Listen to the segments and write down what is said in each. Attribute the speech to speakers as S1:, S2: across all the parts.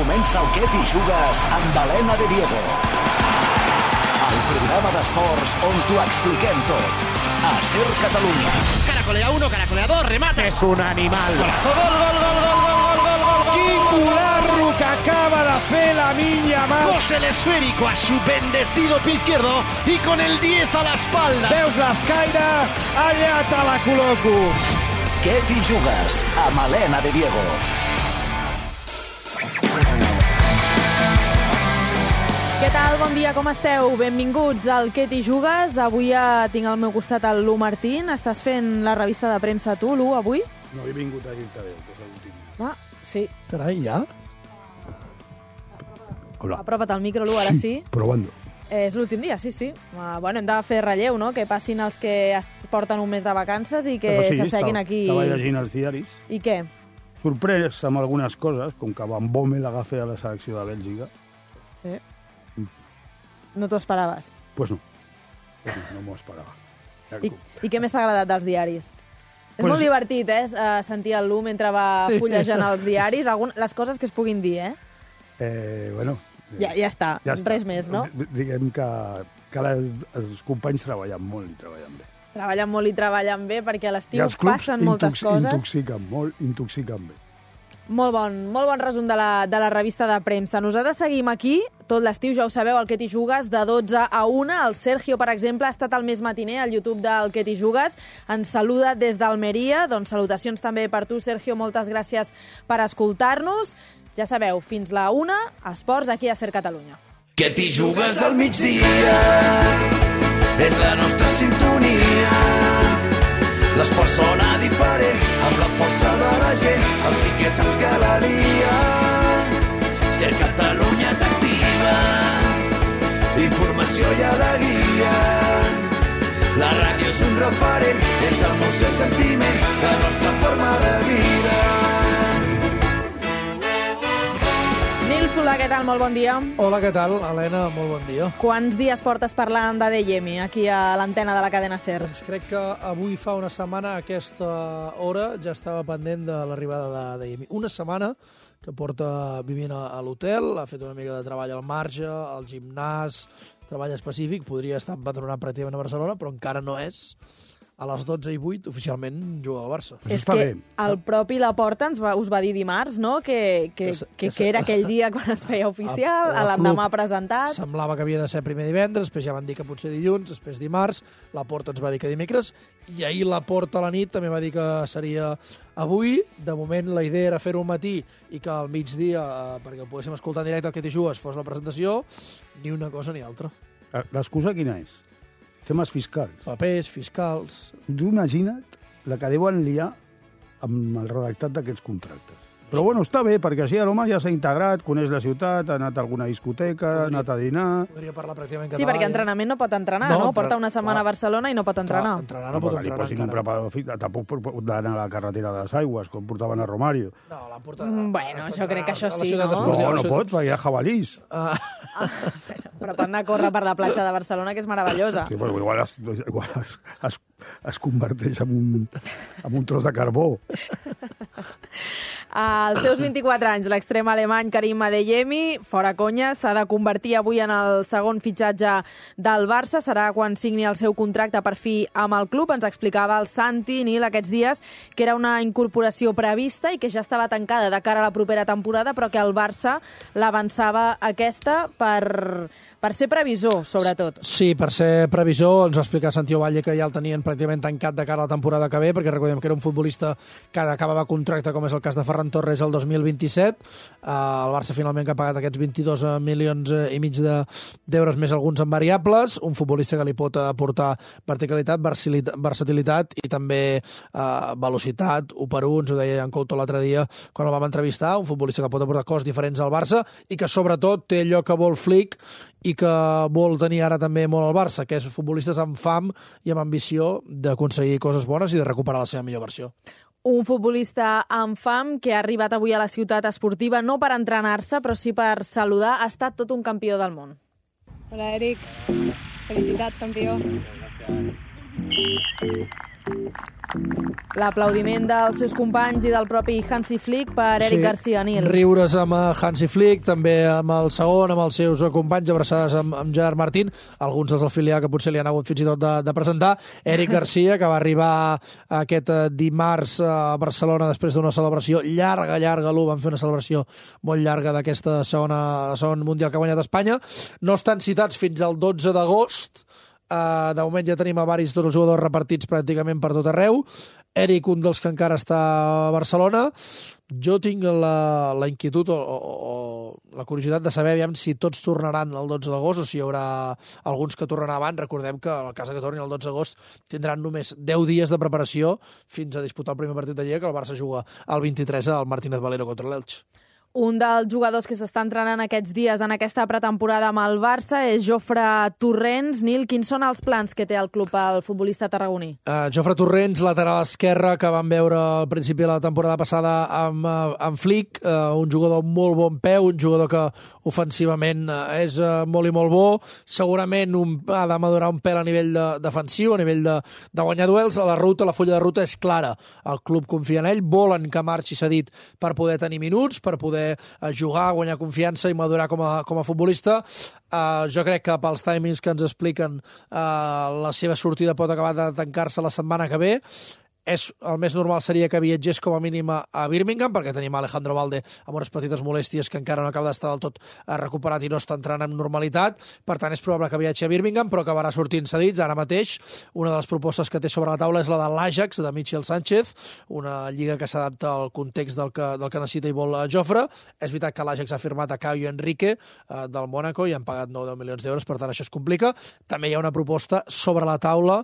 S1: Comença el Què t'hi jugues amb Helena de Diego. El programa d'esports on t'ho expliquem tot. A Ser Catalunya.
S2: Caracolea 1, caracolea 2, remate.
S3: És un animal.
S2: Gol, gol, gol, gol, gol, gol, gol, gol.
S3: Quin cularro que acaba de fer la Minya Mar.
S2: Cose el esférico a su bendecido pie izquierdo y con el 10 a la espalda.
S3: Veus l'escaire? Allà te la col·loco.
S1: Què t'hi jugues amb Helena de Diego.
S4: Què tal? Bon dia, com esteu? Benvinguts al Què t'hi jugues. Avui tinc al meu costat el Lu Martín. Estàs fent la revista de premsa tu, Lu, avui?
S3: No he vingut a dir-te adéu, que és l'últim.
S4: Ah, sí.
S5: Carai, ja?
S3: Hola.
S4: Apropa't al micro, Lu, ara sí.
S3: Probando.
S4: És l'últim dia, sí, sí. Bueno, hem de fer relleu, no? Que passin els que es porten un mes de vacances i que s'asseguin aquí.
S3: Estava llegint els diaris.
S4: I què?
S3: Sorprès amb algunes coses, com que Van Bommel agafa a la selecció de Bèlgica.
S4: Sí. No t'ho esperaves?
S3: Pues no. No m'ho esperava.
S4: I què més t'ha agradat dels diaris? És molt divertit, sentir el Lu mentre va fullejant els diaris. Les coses que es puguin dir,
S3: Bueno...
S4: Ja està, res més, no?
S3: Diguem que els companys treballen molt i treballen bé.
S4: Treballen molt i treballen bé perquè a l'estiu passen moltes coses.
S3: Intoxiquen bé.
S4: Molt bon resum de la revista de premsa. Nosaltres seguim aquí tot l'estiu, ja ho sabeu, al Què t'hi jugues, de 12 a 1. El Sergio, per exemple, ha estat al Més Matiner, al YouTube del Què t'hi jugues. Ens saluda des d'Almeria. Doncs salutacions també per tu, Sergio. Moltes gràcies per escoltar-nos. Ja sabeu, fins la 1, esports aquí a Ser Catalunya.
S6: Què t'hi jugues al migdia? És la nostra sintonia. L'esport sona diferent, amb la força de la gent. El sí que saps que la lia. Ser Catalunya t'activa. Informació i alegria. La ràdio és un referent, és emoció i sentiment, la nostra forma de vida.
S4: Nil Solà, què tal? Molt bon dia.
S5: Hola, què tal? Helena, molt bon dia.
S4: Quants dies portes parlant de Deyemi aquí a l'antena de la cadena SER?
S5: Doncs crec que avui fa una setmana a aquesta hora ja estava pendent de l'arribada de Deyemi. Una setmana que porta vivint a l'hotel, ha fet una mica de treball al marge, al gimnàs, treball específic, podria estar empadronat pràcticament a Barcelona, però encara no és. A les 12:08 oficialment juga al Barça.
S4: És que el propi Laporta us va dir dimarts, no?, que era aquell dia quan es feia oficial, l'endemà presentat.
S5: Semblava que havia de ser primer divendres, després ja van dir que potser dilluns, després dimarts, Laporta ens va dir que dimecres, i ahir Laporta a la nit també va dir que seria avui. De moment la idea era fer-ho al matí i que al migdia, perquè ho poguéssim escoltar en directe al Què t'hi jugues, fos la presentació, ni una cosa ni altra.
S3: L'excusa quina és? Temes fiscals.
S5: Papers, fiscals...
S3: Tu imagina't la que deuen liar amb el redactat d'aquests contractes. Però bueno, està bé, perquè així l'home ja s'ha integrat, coneix la ciutat, ha anat a alguna discoteca, ha anat a dinar...
S5: Podria parlar pràcticament català.
S4: Sí, perquè entrenament no pot entrenar, no? Porta una setmana a Barcelona i no pot entrenar.
S5: Entrenar no pot entrenar
S3: encara. Un preparador físic, tampoc pot anar a la carretera de les Aigües, com portaven a Romario.
S5: No, l'han portat...
S4: Bueno, jo crec que això sí, no?
S3: No pot, perquè hi ha jabalís.
S4: Però t'han de córrer per la platja de Barcelona, que és meravellosa.
S3: Sí, però igual es converteix en un tros de carbó.
S4: Als seus 24 anys, l'extrem alemany Karim Adeyemi, fora conya, s'ha de convertir avui en el segon fitxatge del Barça. Serà quan signi el seu contracte per fi amb el club. Ens explicava el Santi Nil aquests dies que era una incorporació prevista i que ja estava tancada de cara a la propera temporada, però que el Barça l'avançava aquesta per ser previsor, sobretot.
S5: Sí, per ser previsor. Ens va explicar Santi Ovalle que ja el tenien pràcticament tancat de cara a la temporada que ve, perquè recordem que era un futbolista que acabava contracte, com és el cas de Ferran Torres, el 2027. El Barça finalment que ha pagat aquests 22 milions i mig d'euros més alguns en variables. Un futbolista que li pot aportar verticalitat, versatilitat i també velocitat. 1-1, ens ho deia en Couto l'altre dia quan el vam entrevistar. Un futbolista que pot aportar coses diferents al Barça i que sobretot té allò que vol Flick i que vol tenir ara també molt al Barça, que és futbolistes amb fam i amb ambició d'aconseguir coses bones i de recuperar la seva millor versió.
S4: Un futbolista amb fam que ha arribat avui a la ciutat esportiva no per entrenar-se, però sí per saludar. Ha estat tot un campió del món.
S7: Hola, Eric. Felicitats, campió.
S8: Gràcies.
S4: L'aplaudiment dels seus companys i del propi Hansi Flick per Eric Garcia, Nil.
S5: Riures amb Hansi Flick, també amb el segon, amb els seus companys, abraçades amb Gerard Martín, alguns dels del filial que potser li han hagut fins i tot de presentar. Eric Garcia, que va arribar aquest dimarts a Barcelona després d'una celebració llarga, van fer una celebració molt llarga d'aquesta segon Mundial que ha guanyat Espanya. No estan citats fins al 12 d'agost. De moment ja tenim a tots els jugadors repartits pràcticament per tot arreu. Eric, un dels que encara està a Barcelona. Jo tinc la inquietud o la curiositat de saber si tots tornaran el 12 d'agost o si hi haurà alguns que tornaran abans. Recordem que en el cas que tornin el 12 d'agost tindran només 10 dies de preparació fins a disputar el primer partit de Lliga, que el Barça juga el 23 al Martínez Valero contra l'Elx.
S4: Un dels jugadors que s'està entrenant aquests dies en aquesta pretemporada amb el Barça és Jofre Torrents. Nil, quins són els plans que té el club el futbolista tarragoní?
S5: Jofre Torrents, lateral esquerre, que vam veure al principi de la temporada passada amb Flick, un jugador amb molt bon peu, un jugador que ofensivament és molt i molt bo, segurament ha de madurar un pèl a nivell defensiu, a nivell de guanyar duels. La fulla de ruta és clara. El club confia en ell, volen que marxi cedit per poder tenir minuts, per poder jugar, guanyar confiança i madurar com a futbolista. Jo crec que pels timings que ens expliquen la seva sortida pot acabar de tancar-se la setmana que ve. El més normal seria que viatgés com a mínim a Birmingham, perquè tenim Alejandro Valde amb unes petites molèsties que encara no acaba d'estar del tot recuperat i no està entrant amb normalitat. Per tant, és probable que viatgi a Birmingham, però acabarà sortint cedits. Ara mateix, una de les propostes que té sobre la taula és la de l'Ajax, de Michel Sánchez, una lliga que s'adapta al context del que necessita i vol Jofre. És veritat que l'Ajax ha firmat a Caio Henrique del Mónaco i han pagat 9-10 milions d'euros, per tant, això es complica. També hi ha una proposta sobre la taula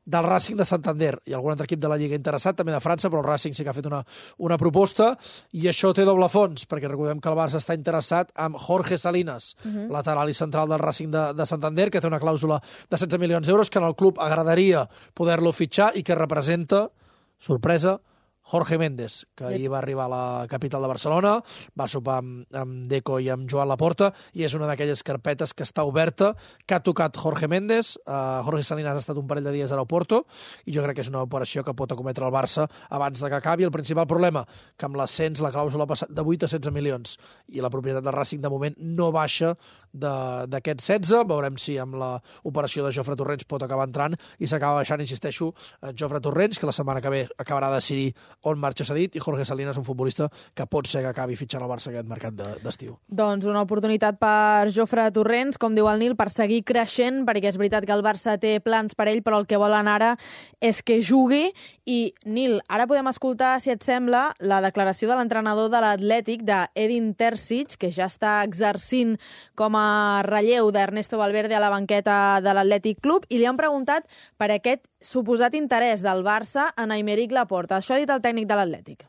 S5: del Racing de Santander i algun altre equip de la Lliga interessat, també de França, però el Racing sí que ha fet una proposta, i això té doble fons, perquè recordem que el Barça està interessat amb Jorge Salinas, lateral i central del Racing de Santander, que té una clàusula de 16 milions d'euros, que en el club agradaria poder-lo fitxar i que representa, sorpresa, Jorge Méndez, que ahir va arribar a la capital de Barcelona, va sopar amb Deco i amb Joan Laporta, i és una d'aquelles carpetes que està oberta, que ha tocat Jorge Méndez. Jorge Salinas ha estat un parell de dies a l'aeroport, i jo crec que és una operació que pot acometre el Barça abans de que acabi. El principal problema, que amb l'ascens la clàusula ha passat de 8 a 16 milions, i la propietat del Racing de moment no baixa d'aquests 16. Veurem si amb l'operació de Jofre Torrents pot acabar entrant, i s'acaba baixant, insisteixo, Jofre Torrents, que la setmana que ve acabarà de decidir on marxa cedit, i Jorge Salinas, un futbolista que pot ser que acabi fitxant el Barça aquest mercat d'estiu.
S4: Doncs una oportunitat per Jofre Torrents, com diu el Nil, per seguir creixent, perquè és veritat que el Barça té plans per ell, però el que volen ara és que jugui. I, Nil, ara podem escoltar, si et sembla, la declaració de l'entrenador de l'Atlètic, d'Edin Terzic, que ja està exercint com a relleu d'Ernesto Valverde a la banqueta de l'Atlètic Club, i li han preguntat per aquest suposat interès del Barça en Aymeric Laporta. Això ha dit el tècnic de l'Atlètic.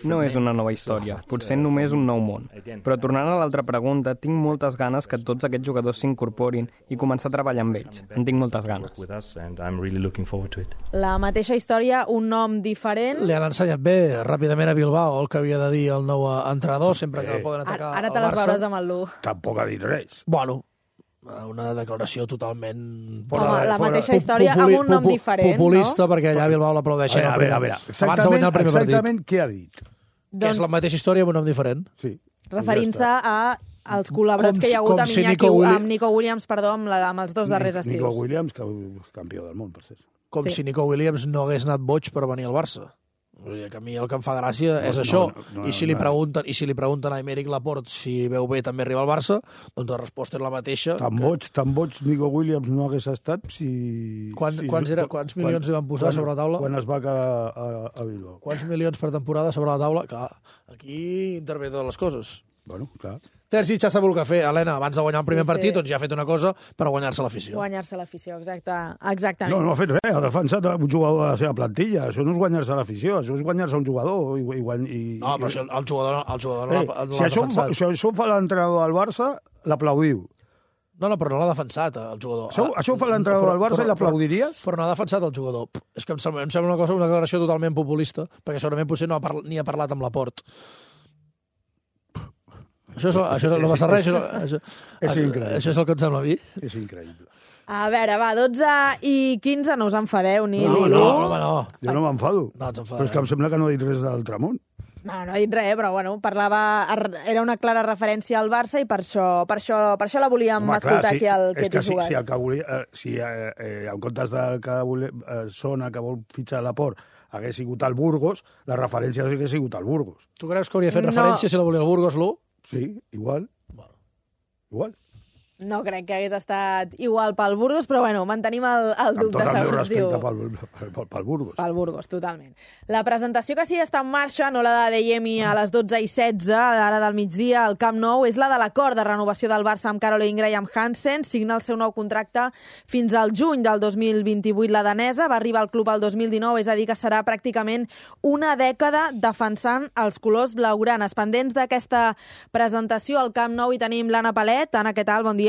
S7: No és una nova història, potser només un nou món. Però tornant a l'altra pregunta, tinc moltes ganes que tots aquests jugadors s'incorporin i començar a treballar amb ells. En tinc moltes ganes.
S4: La mateixa història, un nom diferent.
S5: Li han ensenyat bé ràpidament a Bilbao el que havia de dir el nou entrenador, sempre que poden atacar
S4: ara
S5: el
S4: te les
S5: Barça.
S4: veuràs amb el Lu.
S3: Tampoc ha dit res.
S5: Bueno, una declaració totalment...
S4: Home, la mateixa història amb un nom diferent,
S5: populista,
S4: no?
S5: perquè allà a Bilbao l'aplaudeixen
S3: A veure,
S5: abans de guanyar el primer partit.
S3: exactament què ha dit?
S5: Que és la mateixa història amb un nom diferent.
S3: Sí.
S4: Referint-se als col·laborats que hi ha hagut amb Nico Williams, amb els dos darrers estius.
S3: Nico Williams, campió del món, per ser.
S5: Com si Nico Williams no hagués anat boig per venir al Barça. Que a mi el que em fa gràcia és això. I si li pregunten a Aymeric Laporte si veu bé també arribar al Barça, doncs la resposta és la mateixa.
S3: Tan boig Nico Williams no hagués estat si...
S5: Quants milions li van posar sobre la taula?
S3: Quan es va quedar a Bilbao.
S5: Quants milions per temporada sobre la taula? Clar, aquí intervé totes les coses.
S3: Bueno, clar.
S5: Terzic ja sap el que fer, Helena, abans de guanyar el primer partit, doncs ja ha fet una cosa per guanyar-se l'afició.
S4: Guanyar-se l'afició, exactament.
S3: No ha fet res, ha defensat un jugador de la seva plantilla. Això no és guanyar-se l'afició, això és guanyar-se un jugador.
S5: No, però el jugador no l'ha defensat.
S3: Si això ho fa l'entrenador del Barça, l'aplaudiu.
S5: No, però no l'ha defensat, el jugador.
S3: Això ho fa l'entrenador del Barça i l'aplaudiries?
S5: Però no ha defensat el jugador. És que em sembla una declaració totalment populista, perquè segurament potser ni ha parlat amb Laporte. Això no passa res.
S3: És increïble.
S5: Això és el que em sembla a mi.
S3: És increïble.
S4: A veure, va, 12:15, no us enfadeu ni...
S5: No.
S3: Jo no m'enfado.
S5: No ens enfadem.
S3: Però és que em sembla que no he dit res del Tramont.
S4: No ha dit res, però bueno, era una clara referència al Barça i per això la volíem escoltar aquí al Que t'hi jugues.
S3: Si el que volia, en comptes del que sona que vol fitxar l'Aport hagués sigut el Burgos, la referència hagués sigut el Burgos.
S5: Tu creus que hauria fet referència si la volia el Burgos, l'1?
S3: Sí, igual. Igual.
S4: No crec que hagués estat igual pel Burgos, però bueno, mantenim el dubte,
S3: segons diu. Amb tot el meu
S4: diu.
S3: respecte pel Burgos.
S4: Pel Burgos, totalment. La presentació que sí està en marxa, no la de Yemi a les 12:16, ara del migdia, al Camp Nou, és la de l'acord de renovació del Barça amb Caroline Graham-Hansen. Signa el seu nou contracte fins al juny del 2028. La danesa va arribar al club el 2019, és a dir, que serà pràcticament una dècada defensant els colors blaugranes. Pendents d'aquesta presentació al Camp Nou hi tenim l'Anna Palet. Anna, què tal? Bon dia.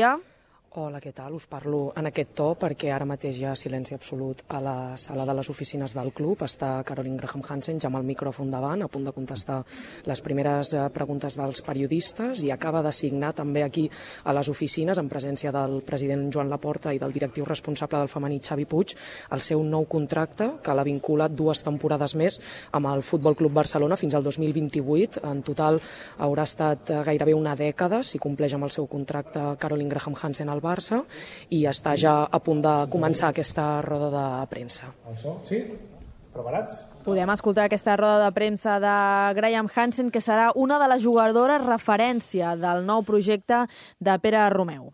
S8: Hola, què tal? Us parlo en aquest to perquè ara mateix hi ha silenci absolut a la sala de les oficines del club. Està Caroline Graham-Hansen ja amb el micròfon davant, a punt de contestar les primeres preguntes dels periodistes, i acaba de signar també aquí a les oficines, en presència del president Joan Laporta i del directiu responsable del femení Xavi Puig, el seu nou contracte, que l'ha vinculat 2 temporades més amb el Futbol Club Barcelona fins al 2028. En total haurà estat gairebé una dècada, si compleix amb el seu contracte Caroline Graham-Hansen al Barça, i està ja a punt de començar aquesta roda de premsa.
S9: Sí? Preparats?
S4: Podem escoltar aquesta roda de premsa de Graham-Hansen, que serà una de les jugadores referència del nou projecte de Pere Romeu.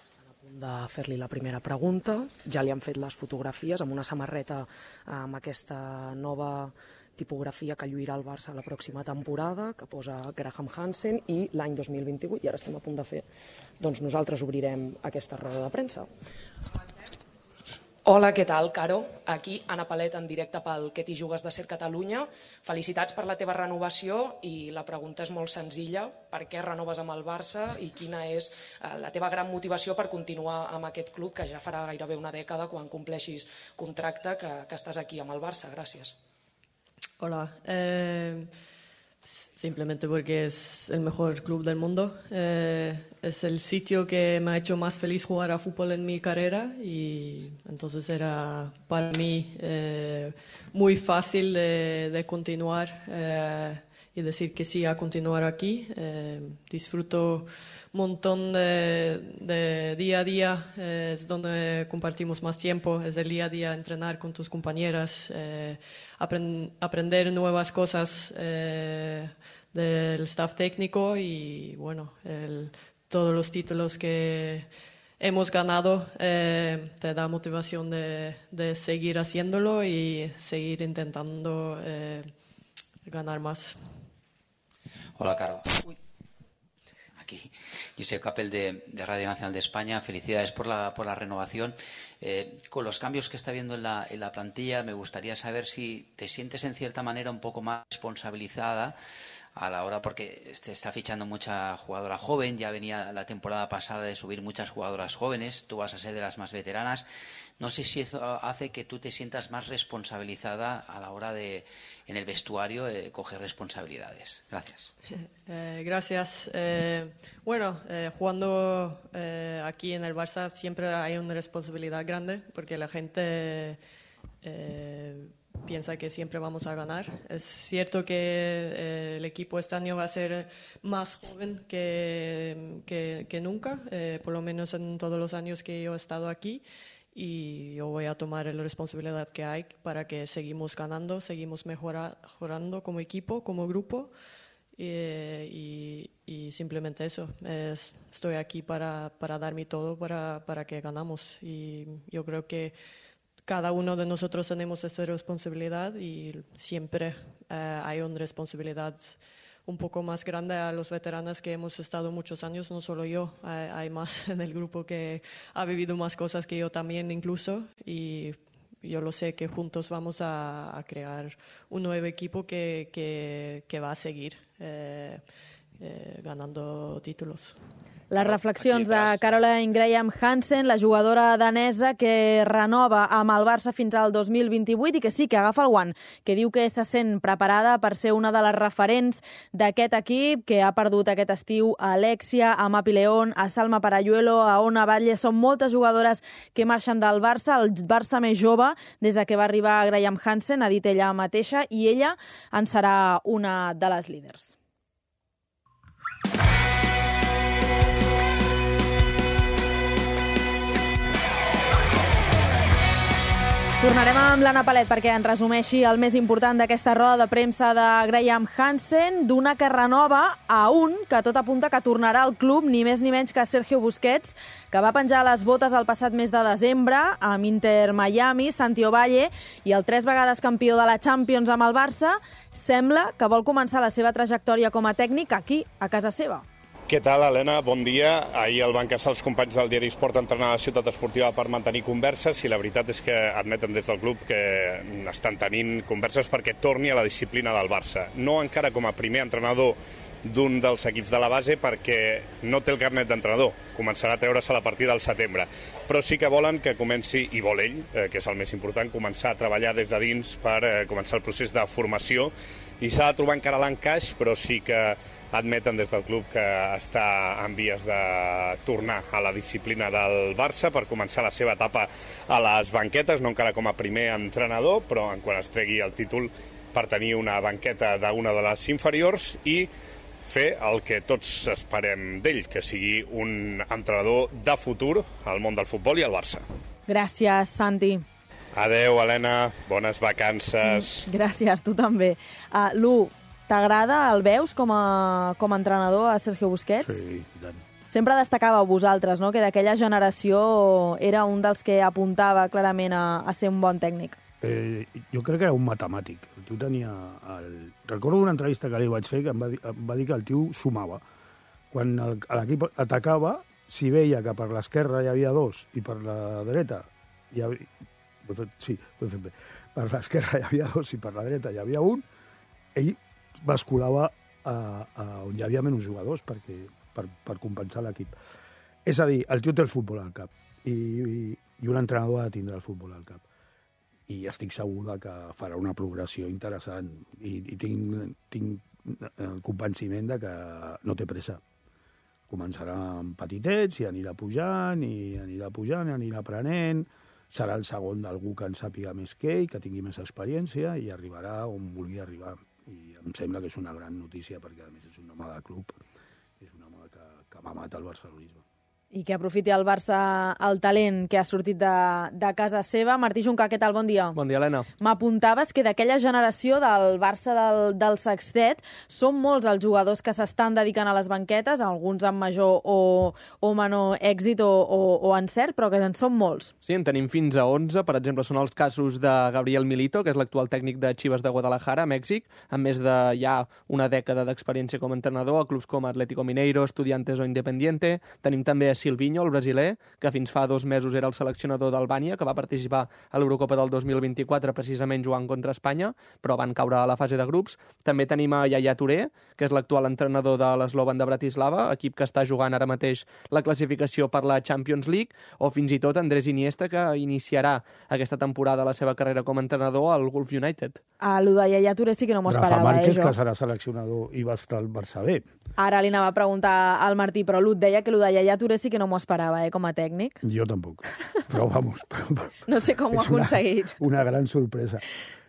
S8: Estan a punt de fer-li la primera pregunta. Ja li han fet les fotografies amb una samarreta amb aquesta nova tipografia que lluirà el Barça la pròxima temporada, que posa Graham-Hansen, i l'any 2028, i ara estem a punt de fer, doncs nosaltres obrirem aquesta roda de premsa. Hola, què tal, Caro? Aquí, Anna Palet, en directe pel Que t'hi jugues de Ser Catalunya. Felicitats per la teva renovació, i la pregunta és molt senzilla. Per què renoves amb el Barça i quina és la teva gran motivació per continuar amb aquest club, que ja farà gairebé una dècada quan compleixis contracte que estàs aquí amb el Barça? Gràcies.
S10: Hola, simplemente porque es el mejor club del mundo. Es el sitio que me ha hecho más feliz jugar a fútbol en mi carrera, y entonces era para mí muy fácil de continuar y decir que sí a continuar aquí. Disfruto un montón de día a día, es donde compartimos más tiempo, es el día a día, entrenar con tus compañeras, aprender nuevas cosas del staff técnico, y bueno, todos los títulos que hemos ganado te da motivación de seguir haciéndolo y seguir intentando ganar más.
S11: Hola, Caro. Aquí, Josep Capel de Radio Nacional de España. Felicidades por la renovación. Con los cambios que está habiendo en la plantilla, me gustaría saber si te sientes en cierta manera un poco más responsabilizada a la hora, porque se está fichando mucha jugadora joven, ya venía la temporada pasada de subir muchas jugadoras jóvenes, tú vas a ser de las más veteranas. No sé si eso hace que tú te sientas más responsabilizada a la hora de, en el vestuario, coger responsabilidades. Gracias.
S10: Gracias. Bueno, jugando aquí en el Barça siempre hay una responsabilidad grande, porque la gente piensa que siempre vamos a ganar. Es cierto que el equipo este año va a ser más joven que nunca, por lo menos en todos los años que yo he estado aquí. Y yo voy a tomar la responsabilidad que hay para que seguimos ganando, seguimos mejorando como equipo, como grupo, y simplemente eso. Estoy aquí para dar mi todo para que ganamos, y yo creo que cada uno de nosotros tenemos esa responsabilidad, y siempre hay una responsabilidad un poco más grande a los veteranos que hemos estado muchos años, no solo yo, hay más en el grupo que ha vivido más cosas que yo también incluso, y yo lo sé que juntos vamos a crear un nuevo equipo que va a seguir. ganando títulos.
S4: Les reflexions de Caroline Graham Hansen, la jugadora danesa que renova amb el Barça fins al 2028 i que sí, que agafa el guant, que diu que se sent preparada per ser una de les referents d'aquest equip, que ha perdut aquest estiu a Alexia, a Mapi León, a Salma Parayuelo, a Ona Batlle. Són moltes jugadores que marxen del Barça, el Barça més jove des de que va arribar Graham Hansen, ha dit ella mateixa, i ella en serà una de les líders. Tornarem amb l'Anna Palet perquè ens resumeixi el més important d'aquesta roda de premsa de Graham Hansen, d'una que renova a un que tot apunta que tornarà al club, ni més ni menys que Sergio Busquets, que va penjar les botes el passat mes de desembre amb Inter Miami, Santi Ovalle, i el 3 vegades campió de la Champions amb el Barça, sembla que vol començar la seva trajectòria com a tècnic aquí, a casa seva.
S12: Què tal, Helena? Bon dia. Ahir el van casar els companys del diari Esport a entrenar a la ciutat esportiva per mantenir converses i la veritat és que admeten des del club que estan tenint converses perquè torni a la disciplina del Barça. No encara com a primer entrenador d'un dels equips de la base perquè no té el carnet d'entrenador. Començarà a treure's a partir del setembre. Però sí que volen que comenci, i vol ell, que és el més important, començar a treballar des de dins per començar el procés de formació. I s'ha de trobar encara l'encaix, però sí que admeten des del club que està en vies de tornar a la disciplina del Barça per començar la seva etapa a les banquetes, no encara com a primer entrenador, però quan es tregui el títol per tenir una banqueta d'una de les inferiors i fer el que tots esperem d'ell, que sigui un entrenador de futur al món del futbol i al Barça.
S4: Gràcies, Santi.
S12: Adeu, Helena. Bones vacances.
S4: Gràcies, tu també. Lu, t'agrada, el veus com a entrenador a Sergio Busquets?
S3: Sí, i tant.
S4: Sempre destacàveu vosaltres, no?, que d'aquella generació era un dels que apuntava clarament a ser un bon tècnic.
S3: Jo crec que era un matemàtic. El tio tenia... Recordo una entrevista que li vaig fer que em va dir que el tio sumava. Quan l'equip atacava, si veia que per l'esquerra hi havia dos i per la dreta hi havia... Sí, ho he fet bé. Per l'esquerra hi havia dos i per la dreta hi havia un, ell basculava on hi havia menys jugadors per compensar l'equip. És a dir, el tio té el futbol al cap i un entrenador ha de tindre el futbol al cap. I estic segur que farà una progressió interessant i tinc el convenciment de que no té pressa. Començarà amb petitets i anirà pujant i anirà aprenent. Serà el segon d'algú que en sàpiga més que ell, que tingui més experiència i arribarà on vulgui arribar. I em sembla que és una gran notícia perquè, a més, és un home de club, és un home que m'ha matat el barcelonisme.
S4: I que aprofiti el Barça el talent que ha sortit de casa seva. Martí Juncà, què tal? Bon dia.
S7: Bon dia, Helena.
S4: M'apuntaves que d'aquella generació del Barça del Sextet són molts els jugadors que s'estan dedicant a les banquetes, alguns amb major o menor èxit o encert, però que en són molts.
S13: Sí, en tenim fins a 11. Per exemple, són els casos de Gabriel Milito, que és l'actual tècnic de Chivas de Guadalajara, a Mèxic, amb més de ja una dècada d'experiència com a entrenador a clubs com Atlético Mineiro, Estudiantes o Independiente. Tenim també a Silvinho, el brasiler, que fins fa 2 mesos era el seleccionador d'Albània, que va participar a l'Eurocopa del 2024 precisament jugant contra Espanya, però van caure a la fase de grups. També tenim a Yaya Touré, que és l'actual entrenador de l'Slovan de Bratislava, equip que està jugant ara mateix la classificació per la Champions League, o fins i tot Andrés Iniesta, que iniciarà aquesta temporada la seva carrera com a entrenador al Gulf United.
S4: Lo de Yaya Touré sí que no m'ho esperava,
S3: Rafa Márquez,
S4: jo.
S3: que serà seleccionador i va estar al Barça B.
S4: Ara li anava a preguntar al Martí, però Lut deia que lo de Yaya Touré sí que no m'ho esperava, com a tècnic.
S3: Jo tampoc, però vamos.
S4: No sé com ho ha aconseguit.
S3: Una gran sorpresa.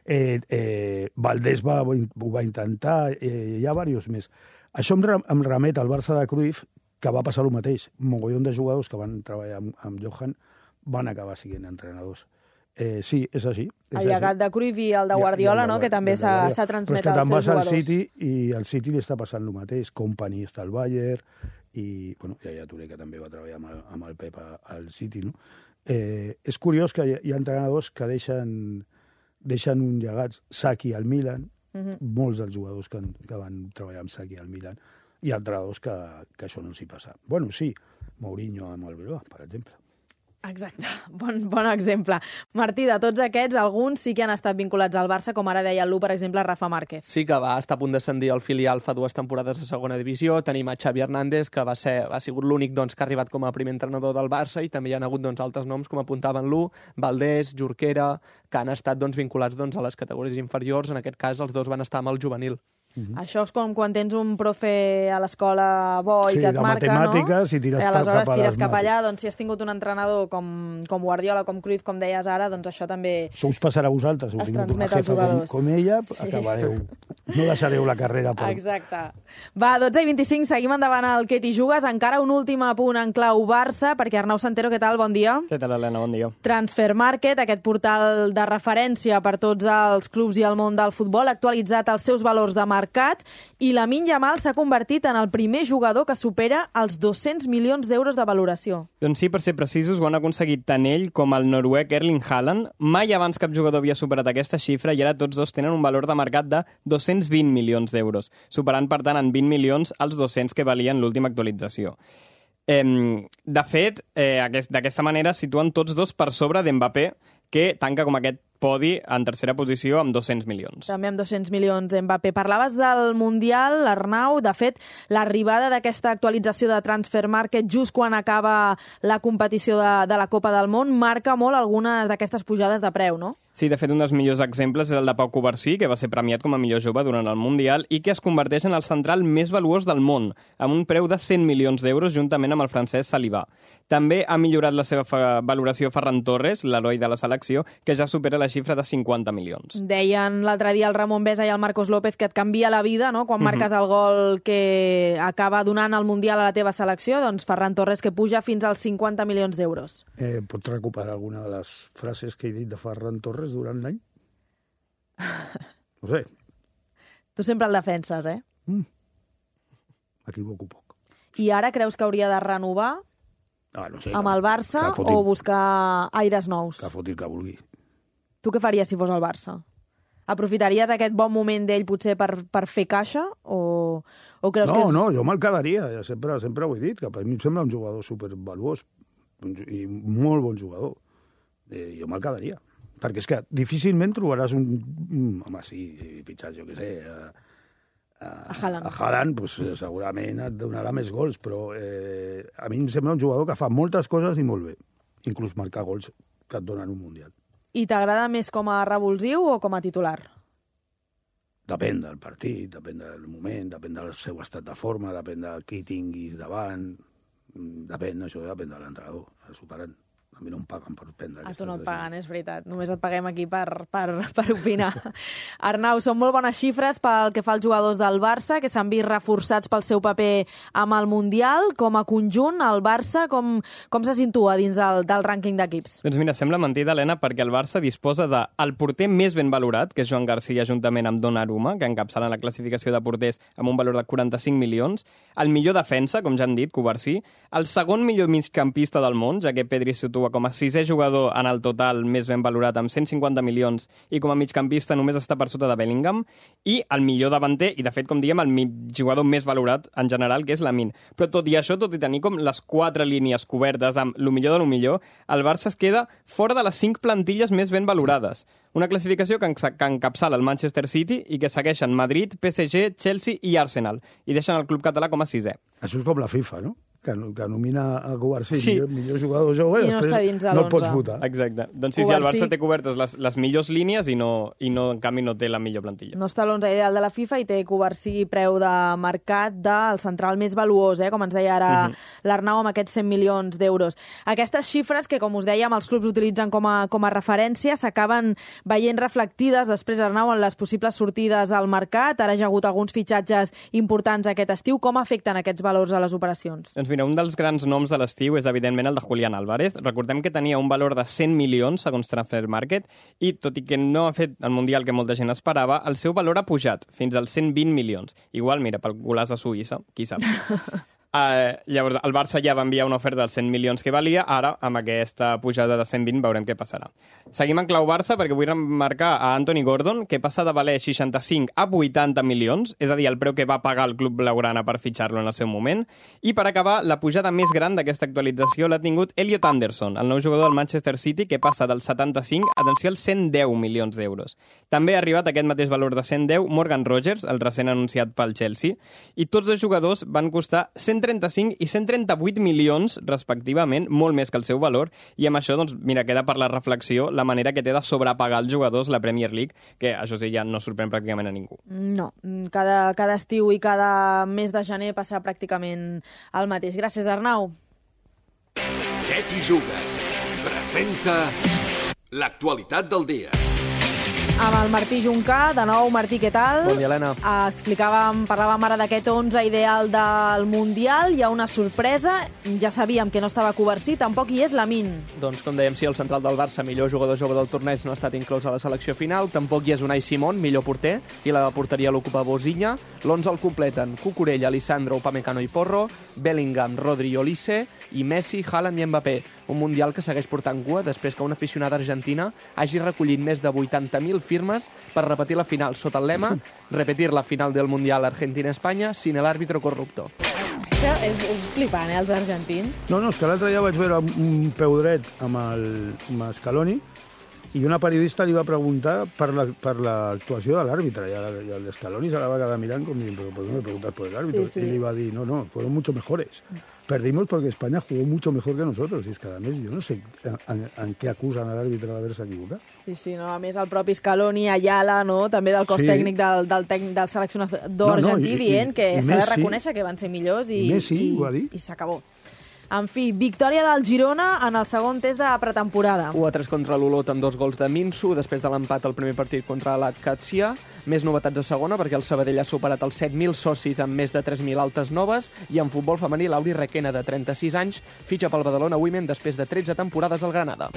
S3: Valdés ho va intentar, hi ha diversos més. Això em remet al Barça de Cruyff, que va passar el mateix. Un mogollon de jugadors que van treballar amb Johan van acabar sent entrenadors. Sí, és així.
S4: El llegat de Cruyff i el de Guardiola, no?, que també s'ha transmet als seus jugadors. Però és que te'n vas al City
S3: i al City li està passant el mateix. Company està al Bayern i, bueno, Yaya Touré, que també va treballar amb el Pep al City, no? És curiós que hi ha entrenadors que deixen un llegat. Saki al Milan, molts dels jugadors que van treballar amb Saki al Milan, i entrenadors que això no s'hi passa. Bueno, sí, Mourinho amb el Bilbao, per exemple.
S4: Exacte, bon exemple. Martí, de tots aquests, alguns sí que han estat vinculats al Barça, com ara deia el Lu, per exemple, Rafa Márquez.
S13: Sí que va estar a punt d'ascendir al filial fa 2 temporades a segona divisió. Tenim a Xavi Hernández, que ha sigut l'únic que ha arribat com a primer entrenador del Barça, i també hi ha hagut altres noms, com apuntaven Lu, Valdés, Jorquera, que han estat vinculats a les categories inferiors. En aquest cas, els dos van estar amb el juvenil.
S4: Això és com quan tens un profe a l'escola bo i que et marca, no?
S3: Sí, de matemàtiques, i
S4: aleshores tires cap allà. Doncs si has tingut un entrenador com Guardiola, com Cruyff, com deies ara, doncs això també...
S3: Això us passarà a vosaltres.
S4: Es transmet als jugadors.
S3: Com ella, acabareu. No deixareu la carrera.
S4: Exacte. Va, 12:25, seguim endavant al Què t'hi jugues. Encara un últim apunt en clau Barça, perquè Arnau Santero, què tal? Bon dia.
S7: Què tal, Helena? Bon dia.
S4: Transfermarkt, aquest portal de referència per tots els clubs i el món del futbol, ha actualitzat els seus valors de mercat, i Lamine Yamal s'ha convertit en el primer jugador que supera els 200 milions d'euros de valoració.
S7: Doncs sí, per ser precisos, ho han aconseguit tant ell com el noruec Erling Haaland. Mai abans cap jugador havia superat aquesta xifra i ara tots dos tenen un valor de mercat de 220 milions d'euros, superant, per tant, en 20 milions els 200 que valien l'última actualització. De fet, d'aquesta manera situen tots dos per sobre d'Mbappé, que tanca com aquest podi en tercera posició amb 200 milions.
S4: També amb 200 milions, Mbappé. Parlaves del Mundial, Arnau. De fet, l'arribada d'aquesta actualització de Transfermarkt just quan acaba la competició de la Copa del Món marca molt algunes d'aquestes pujades de preu, no?
S7: Sí, de fet, un dels millors exemples és el de Pau Covarsí, que va ser premiat com a millor jove durant el Mundial i que es converteix en el central més valuós del món, amb un preu de 100 milions d'euros juntament amb el francès Saliba. També ha millorat la seva valoració Ferran Torres, l'heroi de la selecció, que ja supera la xifra de 50 milions.
S4: Deien l'altre dia el Ramon Besa i el Marcos López que et canvia la vida, no?, quan marques el gol que acaba donant el Mundial a la teva selecció, doncs Ferran Torres que puja fins als 50 milions d'euros.
S3: Pots recuperar alguna de les frases que he dit de Ferran Torres durant l'any? No sé.
S4: Tu sempre el defenses, eh?
S3: M'equivoco poc.
S4: I ara creus que hauria de renovar
S3: no sé,
S4: amb el Barça o buscar aires nous?
S3: Que foti el que vulgui.
S4: Tu què faries si fos el Barça? Aprofitaries aquest bon moment d'ell potser per fer caixa o creus que és...
S3: No, jo me'l quedaria. Sempre ho he dit, que per mi em sembla un jugador supervaluós i molt bon jugador. Jo me'l quedaria. Perquè és que difícilment trobaràs home, sí, fitxats, jo què sé, a Haaland, pues, segurament et donarà més gols, però a mi em sembla un jugador que fa moltes coses i molt bé, inclús marcar gols que et donen un Mundial.
S4: I t'agrada més com a revulsiu o com a titular?
S3: Depèn del partit, depèn del moment, depèn del seu estat de forma, depèn de qui tinguis davant, això depèn de l'entrenador, superant. A mi no em paguen per prendre aquestes decisions.
S4: A tu no et paguen, és veritat. Només et paguem aquí per opinar. Arnau, són molt bones xifres pel que fa als jugadors del Barça, que s'han vist reforçats pel seu paper amb el Mundial. Com a conjunt, el Barça, com se situa dins del rànquing d'equips?
S7: Doncs mira, sembla mentida, Helena, perquè el Barça disposa del porter més ben valorat, que és Joan Garcia, juntament amb Donnarumma, que encapçalen la classificació de porters amb un valor de 45 milions, el millor defensa, com ja han dit, Covarsí, el segon millor migcampista del món, ja que Pedri situa com a sisè jugador en el total més ben valorat amb 150 milions i com a migcampista només està per sota de Bellingham, i el millor davanter i, de fet, com diguem, el jugador més valorat en general, que és Lamine. Però tot i això, tot i tenir com les 4 línies cobertes amb lo millor de lo millor, el Barça es queda fora de les 5 plantilles més ben valorades. Una classificació que encapçala el Manchester City i que segueixen Madrid, PSG, Chelsea i Arsenal, i deixen el club català com a 6è.
S3: Això és com la FIFA, no? Que nomina a Covarsí millor jugador jove i després no el pots votar.
S7: Exacte. Doncs sí, el Barça té cobertes les millors línies i en canvi no té la millor plantilla.
S4: No està a l'11 ideal de la FIFA i té Covarsí preu de mercat del central més valuós, com ens deia ara l'Arnau, amb aquests 100 milions d'euros. Aquestes xifres que, com us dèiem, els clubs utilitzen com a referència s'acaben veient reflectides després, Arnau, en les possibles sortides al mercat. Ara ja ha hagut alguns fitxatges importants aquest estiu. Com afecten aquests valors a les operacions?
S7: Doncs mira, un dels grans noms de l'estiu és, evidentment, el de Julián Álvarez. Recordem que tenia un valor de 100 milions, segons Transfermarkt, i tot i que no ha fet el Mundial que molta gent esperava, el seu valor ha pujat fins als 120 milions. Igual, mira, pel golaç a Suïssa, qui sap. Llavors, el Barça ja va enviar una oferta dels 100 milions que valia, ara, amb aquesta pujada de 120, veurem què passarà. Seguim en clau Barça, perquè vull remarcar a Anthony Gordon, que passa de valer 65 a 80 milions, és a dir, el preu que va pagar el club blaugrana per fitxar-lo en el seu moment. I per acabar, la pujada més gran d'aquesta actualització l'ha tingut Elliot Anderson, el nou jugador del Manchester City, que passa del 75, atenció, als 110 milions d'euros. També ha arribat aquest mateix valor de 110 Morgan Rogers, el recent anunciat pel Chelsea, i tots dos jugadors van costar 135 i 138 milions, respectivament, molt més que el seu valor, i amb això, doncs, mira, queda per la reflexió la manera que té de sobrepagar els jugadors la Premier League, que això sí, ja no sorprèn pràcticament a ningú.
S4: No, cada estiu i cada mes de gener passa pràcticament el mateix. Gràcies, Arnau.
S14: Què t'hi jugues? Presenta l'actualitat del dia.
S4: Amb el Martí Juncà. De nou, Martí, què tal?
S13: Bon dia, Helena.
S4: Parlàvem ara d'aquest 11 ideal del Mundial. Hi ha una sorpresa. Ja sabíem que no estava Covarsí, tampoc hi és Lamine.
S13: Doncs, com dèiem, sí, el central del Barça, millor jugador jove del torneig, no ha estat inclòs a la selecció final. Tampoc hi és Unai Simón, millor porter, i la porteria l'ocupa Bozinya. L'11 el completen Cucurella, Lisandro, Upamecano i Porro, Bellingham, Rodri, Olise i Messi, Haaland i Mbappé. Un Mundial que segueix portant cua després que una aficionada argentina hagi recollit més de 80.000 firmes per repetir la final sota el lema «Repetir la final del Mundial Argentina-Espanya sin el árbitro corrupto».
S4: És flipant, els argentins.
S3: No, és que l'altre dia vaig veure un peu dret amb Scaloni i una periodista li va preguntar per l'actuació de l'àrbitre i el Scaloni se la va quedar mirant com dient, ¿por qué me preguntas por el árbitro?
S4: Sí.
S3: Y le iba a decir, no, fueron mucho mejores. Perdimos porque España jugó mucho mejor que nosotros. Y es que, a més, jo no sé en què acusen a l'àrbitre d'haver-se equivocat.
S4: Sí, no, a més, el propi Scaloni, Ayala, no? També del cos tècnic del seleccionador argentí, dient que s'ha de reconèixer que van ser millors i s'acabó. En fi, victòria del Girona en el segon test de pretemporada.
S13: 1-3 contra l'Olot amb 2 gols de Minsu, després de l'empat al primer partit contra l'Atkatsia. Més novetats a segona, perquè el Sabadell ha superat els 7.000 socis amb més de 3.000 altes noves, i en futbol femení, l'Auri Requena, de 36 anys, fitxa pel Badalona Women després de 13 temporades al Granada.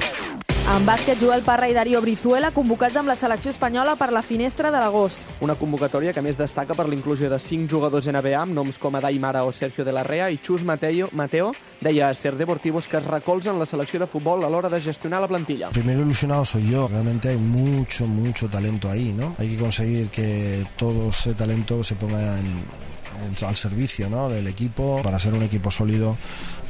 S4: En bàsquet, Joel Parra i Darío Brizuela convocats amb la selecció espanyola per la finestra de l'agost.
S13: Una convocatòria que més destaca per l'inclusió de 5 jugadors NBA amb noms com Adai Mara o Sergio de la Rea, i Chus Mateo deia a Ser Deportivos que es recolzen la selecció de futbol a l'hora de gestionar la plantilla.
S15: Primero ilusionado soy yo. Realmente hay mucho talento ahí, ¿no? Hay que conseguir que todo ese talento se ponga al servicio, ¿no?, del equipo. Para ser un equipo sólido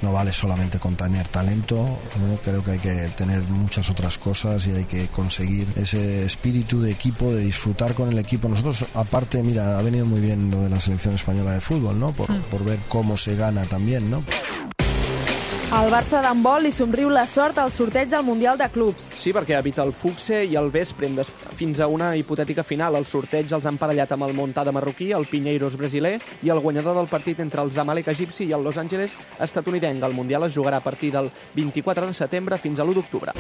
S15: no vale solamente con tener talento, ¿no? Creo que hay que tener muchas otras cosas y hay que conseguir ese espíritu de equipo, de disfrutar con el equipo. Nosotros, aparte, mira, ha venido muy bien lo de la selección española de fútbol, ¿no?, por ver cómo se gana también, ¿no?
S4: Al Barça d'handbol li somriu la sort al sorteig del Mundial de Clubs.
S13: Sí, perquè evita el Fuxe i el Vespre fins a una hipotètica final. El sorteig els han parellat amb el Montada marroquí, el Pinheiros brasiler i el guanyador del partit entre el Zamalek egipci i el Los Angeles estatunidenc. El Mundial es jugarà a partir del 24 de setembre fins a l'1 d'octubre.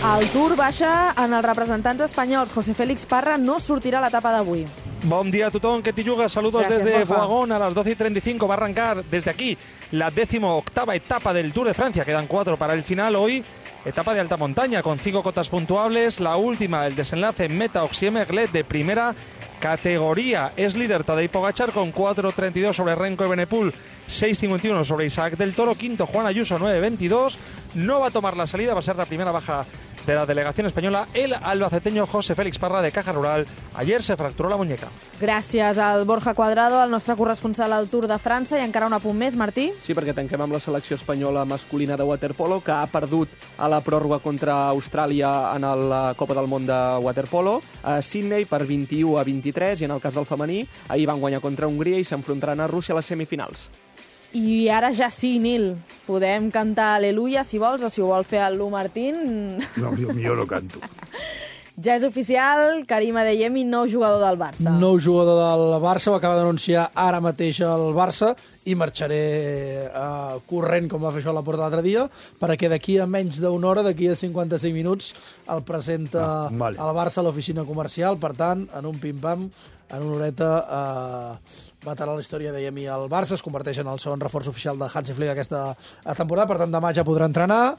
S4: El Tour baixa en els representants espanyols. José Félix Parra no sortirà a l'etapa d'avui.
S16: Buen día a tothom, que te yugas. Saludos desde Boagón a las 12:35. Va a arrancar desde aquí la 18ª etapa del Tour de Francia. Quedan 4 para el final. Hoy, etapa de alta montaña con 5 cotas puntuables. La última, el desenlace en meta Oxie-Merlet de primera categoría. Es líder Tadej Pogačar con 4.32 sobre Renko Evenepoel, 6.51 sobre Isaac del Toro. Quinto, Juan Ayuso, 9.22. No va a tomar la salida, va a ser la primera baja de la delegación española, el albaceteño José Félix Parra, de Caja Rural. Ayer se fracturó la muñeca.
S4: Gràcies al Borja Cuadrado, el nostre corresponsal al Tour de França. I encara un apunt més, Martí.
S13: Sí, perquè tanquem amb la selecció espanyola masculina de waterpolo, que ha perdut a la pròrroga contra Austràlia en la Copa del Món de waterpolo a Sydney per 21-23, i en el cas del femení, ahir van guanyar contra Hongria i s'enfrontaran a Rússia a les semifinals.
S4: I ara ja sí, Nil, podem cantar Aleluia, si vols, o si ho vol fer el Lu Martín.
S3: No, jo no canto.
S4: Ja és oficial, Karim Adeyemi, nou jugador del Barça.
S5: Nou jugador del Barça, ho acaba d'anunciar ara mateix el Barça, i marxaré corrent, com va fer això a la porta l'altre dia, perquè d'aquí a menys d'una hora, d'aquí a 55 minuts, el presenta el Barça a l'oficina comercial. Per tant, en un pim-pam, en una horeta, matarà la història de Yemi al Barça, es converteix en el segon reforç oficial de Hansi Flick aquesta temporada, per tant demà ja podrà entrenar.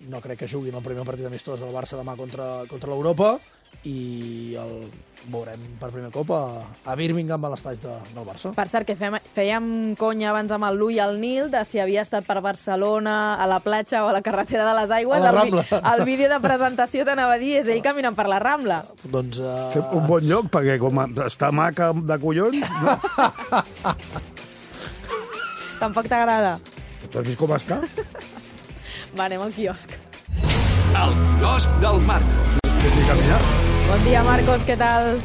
S5: No crec que juguin el primer partit amistós del Barça demà contra l'Europa, i el veurem per primer cop a Birmingham, a l'estadi del Barça.
S4: Per cert, que fèiem conya abans amb el Lu i el Nil de si havia estat per Barcelona, a la platja o a la carretera de les Aigües.
S5: A la Rambla.
S4: El vídeo de presentació t'anava a dir, és ell caminant per la Rambla.
S5: Doncs...
S3: Un bon lloc, perquè com està maca de collons...
S4: Tampoc t'agrada.
S3: Tu has vist com està?
S4: Va, anem al quiosc.
S14: El quiosc del Marcos.
S4: Buen día, Marcos, ¿qué tal?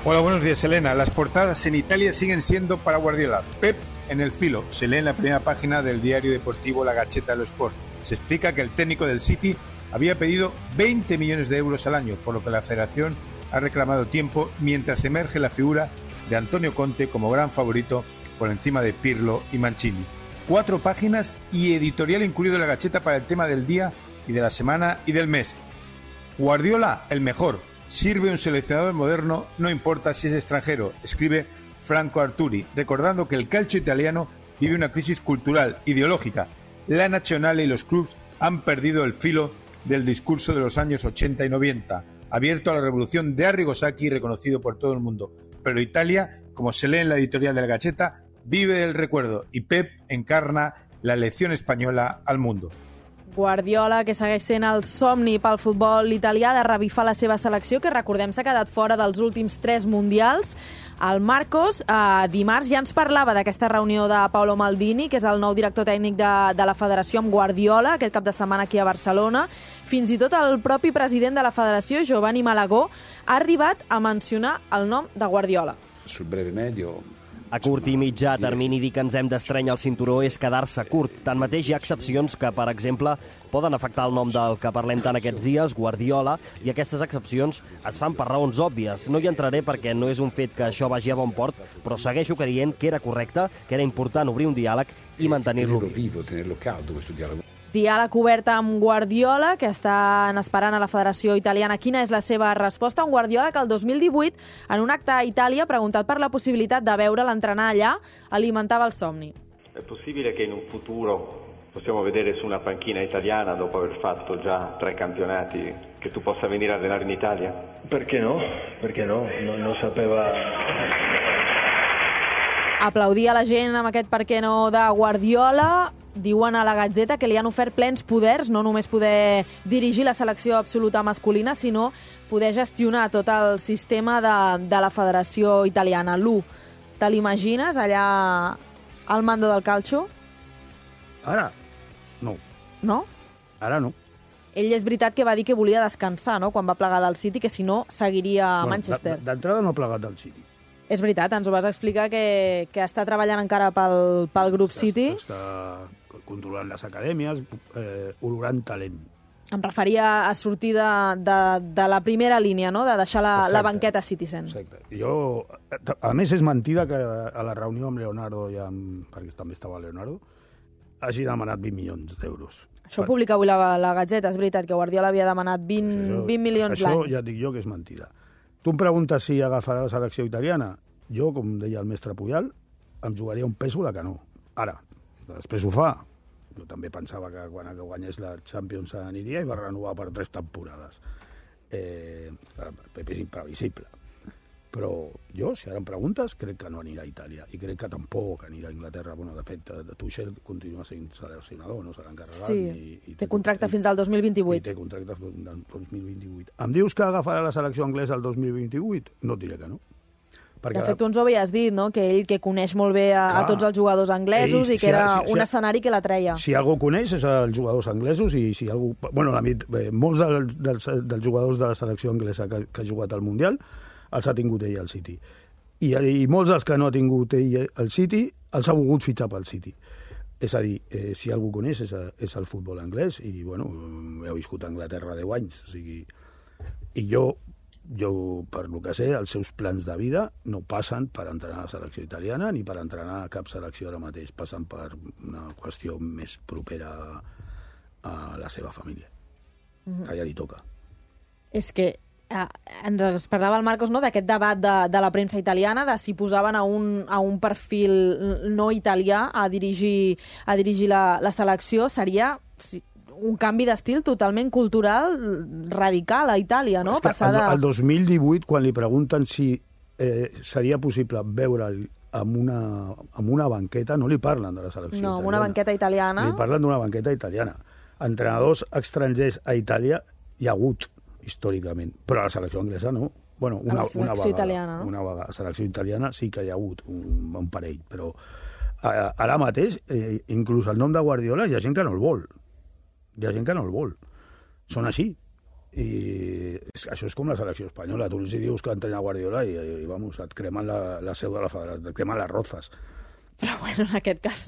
S17: Hola, buenos días, Elena. Las portadas en Italia siguen siendo para Guardiola. Pep en el filo. Se lee en la primera página del diario deportivo La Gazzetta dello Sport. Se explica que el técnico del City había pedido 20 millones de euros al año, por lo que la federación ha reclamado tiempo mientras emerge la figura de Antonio Conte como gran favorito por encima de Pirlo y Mancini. 4 páginas y editorial incluido en La Gazzetta para el tema del día y de la semana y del mes. Guardiola, el mejor. Sirve un seleccionador moderno, no importa si es extranjero, escribe Franco Arturi, recordando que el calcio italiano vive una crisis cultural, ideológica. La Nazionale y los clubs han perdido el filo del discurso de los años 80 y 90, abierto a la revolución de Arrigo Sacchi, reconocido por todo el mundo. Pero Italia, como se lee en la editorial de La Gazzetta, vive del recuerdo y Pep encarna la lección española al mundo.
S4: Guardiola, que segueix sent el somni pel futbol italià de revifar la seva selecció, que recordem s'ha quedat fora dels últims 3 mundials. El Marcos, dimarts, ja ens parlava d'aquesta reunió de Paolo Maldini, que és el nou director tècnic de la federació, amb Guardiola, aquest cap de setmana aquí a Barcelona. Fins i tot el propi president de la federació, Giovanni Malagó, ha arribat a mencionar el nom de Guardiola.
S18: Sul breve medio...
S19: A curt i mitjà termini dir que ens hem d'estrènyer el cinturó és quedar-se curt. Tanmateix, hi ha excepcions que, per exemple, poden afectar el nom del que parlem tant aquests dies, Guardiola, i aquestes excepcions es fan per raons òbvies. No hi entraré perquè no és un fet que això vagi a bon port, però segueixo creient que era correcte, que era important obrir un diàleg i mantenir-lo viu.
S4: Diàleg obert amb Guardiola, que estan esperant a la Federació Italiana quina és la seva resposta. Un Guardiola que el 2018, en un acte a Itàlia, preguntat per la possibilitat de veure l'entrenar allà, alimentava el somni.
S20: È possibile che in un futuro possiamo vedere su una panchina italiana, dopo aver fatto già 3 campionati, che tu possa venire a allenare in Italia?
S21: Perché no? Perché no? Non sapeva...
S4: Aplaudia la gent amb aquest per què no de Guardiola. Diuen a la Gazzetta que li han ofert plens poders, no només poder dirigir la selecció absoluta masculina, sinó poder gestionar tot el sistema de la Federació Italiana. Lu, te l'imagines allà al mando del calcio?
S3: Ara, no.
S4: No?
S3: Ara no.
S4: Ell és veritat que va dir que volia descansar, no?, quan va plegar del City, que si no seguiria a Manchester.
S3: D'entrada no ha plegat del City.
S4: És veritat, ens ho vas explicar, que està treballant encara pel grup City.
S3: Està controlant les acadèmies, olorant talent.
S4: Em referia a sortir de la primera línia, no?, de deixar la banqueta Citizen.
S3: Exacte. A més, és mentida que a la reunió amb Leonardo, perquè també estava Leonardo, hagi demanat 20 milions d'euros.
S4: Això ho publica avui la Gazzetta, és veritat, que Guardiola havia demanat 20 milions l'any.
S3: Això ja et dic jo que és mentida. Tu em preguntes si agafarà la selecció italiana. Jo, com deia el mestre Puyal, em jugaria un peso de que no. Ara, després ho fa. Jo també pensava que quan guanyés la Champions aniria i va renovar per 3 temporades. Pepe és imprevisible. Però jo, si ara em preguntes, crec que no anirà a Itàlia. I crec que tampoc anirà a Anglaterra. Bueno, de fet, Tuchel continua sent seleccionador, no serà encarregat.
S4: Sí, té contracte fins al 2028.
S3: I té contracte fins al 2028. Em dius que agafarà la selecció anglesa el 2028? No et diré que no.
S4: De fet, tu ens ho havies dit, no?, que ell que coneix molt bé a tots els jugadors anglesos i que era un escenari que la treia.
S3: Si algú coneix és els jugadors anglesos i si algú... Bueno, molts dels jugadors de la selecció anglesa que ha jugat al Mundial els ha tingut ell al City. I molts dels que no ha tingut ell al City els ha volgut fitxar pel City. És a dir, si algú coneix és el futbol anglès i, bueno, he viscut a Anglaterra 10 anys. O sigui, i jo, per lo que sé, els seus plans de vida no passen per entrenar a la selecció italiana ni per entrenar a cap selecció ara mateix. Passen per una qüestió més propera a la seva família. Que ja li toca.
S4: És que ens parlava el Marcos, no?, d'aquest debat de la premsa italiana, de si posaven a un perfil no italià a dirigir la selecció. Seria un canvi d'estil totalment cultural radical a Itàlia, no?
S3: El 2018, quan li pregunten si seria possible veure'l amb una banqueta, no li parlen de la selecció italiana.
S4: No, amb una banqueta italiana.
S3: Li parlen d'una banqueta italiana. Entrenadors estrangers a Itàlia hi ha hagut, històricament, però a la selecció anglesa no. Bueno, una
S4: selecció italiana, no?
S3: Una vegada. A la selecció italiana sí que hi ha hagut un parell, però ara mateix, inclús el nom de Guardiola, hi ha gent que no el vol. Hi ha gent que no el vol. Són així. I això és com la selecció espanyola. Tu els dius que entrena Guardiola i vamos, et cremen la seu de la federació, et cremen les rozes.
S4: Però bueno, en aquest cas...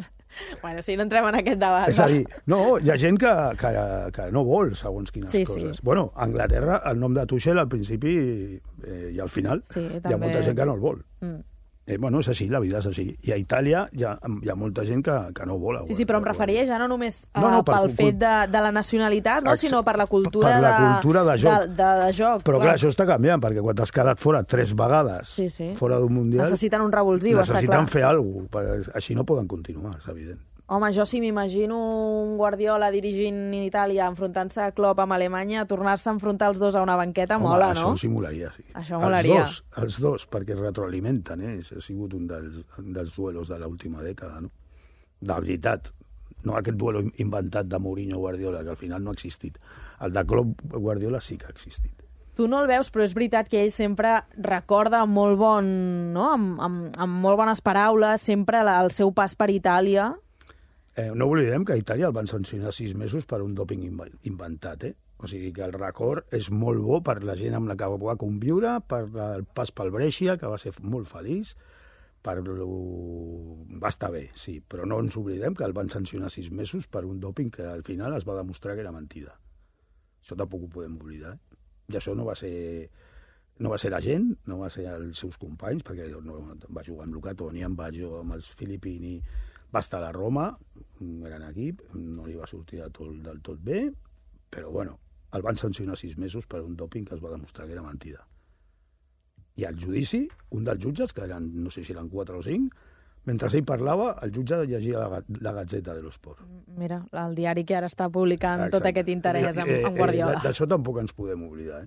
S4: Bueno, sí, no entrem en aquest debat.
S3: És a dir, no, hi ha gent que no vol segons quines coses.
S4: Sí.
S3: Bueno, a Anglaterra, el nom de Tuchel al principi i al final hi ha molta gent que no el vol. Bueno, és així, la vida és així. I a Itàlia hi ha molta gent que no vol.
S4: Sí, però em referia ja no només pel fet de la nacionalitat, no, sinó per la cultura,
S3: per la cultura de joc.
S4: De joc.
S3: Però clar, això està canviant, perquè quan t'has quedat fora 3 vegades fora d'un mundial...
S4: Necessiten un revulsiu, està clar.
S3: Necessiten fer alguna cosa, així no poden continuar, és evident.
S4: Home, jo sí m'imagino un Guardiola dirigint Itàlia, enfrontant-se a Klopp amb Alemanya, tornar-se a enfrontar els dos a una banqueta, mola, no?
S3: Això ho simularia, sí.
S4: Això molaria.
S3: Els dos, perquè es retroalimenten, Ha sigut un dels duelos de l'última dècada, no? De veritat. No aquest duelo inventat de Mourinho-Guardiola, que al final no ha existit. El de Klopp-Guardiola sí que ha existit.
S4: Tu no el veus, però és veritat que ell sempre recorda molt bon, no? Amb molt bones paraules, sempre el seu pas per Itàlia.
S3: No oblidem que a Itàlia el van sancionar 6 mesos per un dòping inventat, O sigui que el record és molt bo per la gent amb la que va conviure, per el pas pel Brescia, que va ser molt feliç, va estar bé, sí, però no ens oblidem que el van sancionar 6 mesos per un dòping que al final es va demostrar que era mentida. Això tampoc ho podem oblidar, I això no va ser la gent, no va ser els seus companys, perquè no, va jugar amb Luca Toni, amb Baggio, amb els Filippini, va estar a la Roma, un gran equip, no li va sortir del tot bé, però bueno, el van sancionar 6 mesos per un dòping que es va demostrar que era mentida. I al judici, un dels jutges, que eren, no sé si eren 4 o 5, mentre ell parlava, el jutge llegia la Gazzetta dello Sport.
S4: Mira, el diari que ara està publicant tot aquest interès amb Guardiola.
S3: D'això tampoc ens podem oblidar,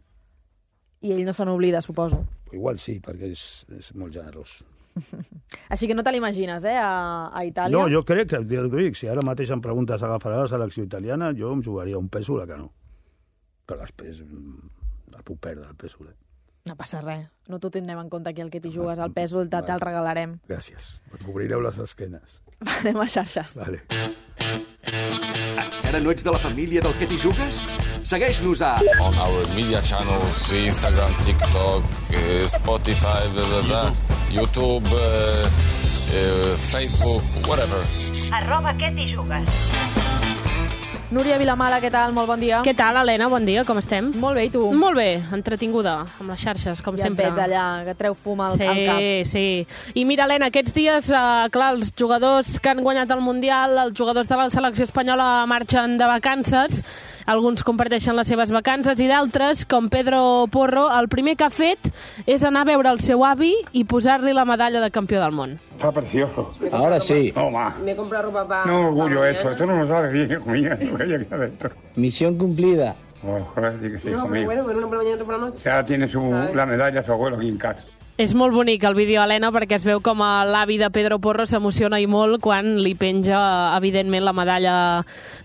S4: I ell no se n'oblida, suposo.
S3: Igual sí, perquè és molt generós.
S4: Així que no te l'imagines, a Itàlia?
S3: No, jo crec que, dic, si ara mateix em preguntes agafarà la selecció italiana, jo em jugaria un pèsol a que no. Però després el puc perdre, el pèsol.
S4: No passa res. No t'ho tindrem en compte aquí, el que t'hi jugues al pèsol, te'l regalarem.
S3: Gràcies. Em cobrireu les esquenes.
S4: Anem a xarxes.
S3: Vale.
S14: Encara no ets de la família del que t'hi jugues? Segueix-nos a...
S18: On our media channels, Instagram, TikTok, Spotify, YouTube, Facebook, whatever.
S22: @que t'hi jugues.
S4: Núria Vilamala, què tal? Molt bon dia.
S23: Què tal, Helena? Bon dia, com estem?
S4: Molt bé, i tu?
S23: Molt bé, entretinguda, amb les xarxes, com sempre.
S4: Ja et veig allà, que treu fum al cap.
S23: Sí. I mira, Helena, aquests dies, clar, els jugadors que han guanyat el Mundial, els jugadors de la selecció espanyola marxen de vacances, alguns comparteixen les seves vacances i d'altres, com Pedro Porro, el primer que ha fet és anar a veure el seu avi i posar-li la medalla de campió del món.
S24: Está precioso.
S25: Ahora sí.
S24: No, ma.
S22: Me he comprado ropa para...
S24: No orgullo eso. Esto no lo sabes bien, hijo mío. No voy a quedar dentro.
S25: Misión cumplida.
S24: Ojalá sí que sí,
S22: No,
S24: hijo mío.
S22: pero bueno, una por la mañana, otra por la noche.
S24: Ya tiene la medalla su abuelo aquí en casa.
S23: És molt bonic el vídeo, Helena, perquè es veu com l'avi de Pedro Porro s'emociona i molt quan li penja, evidentment, la medalla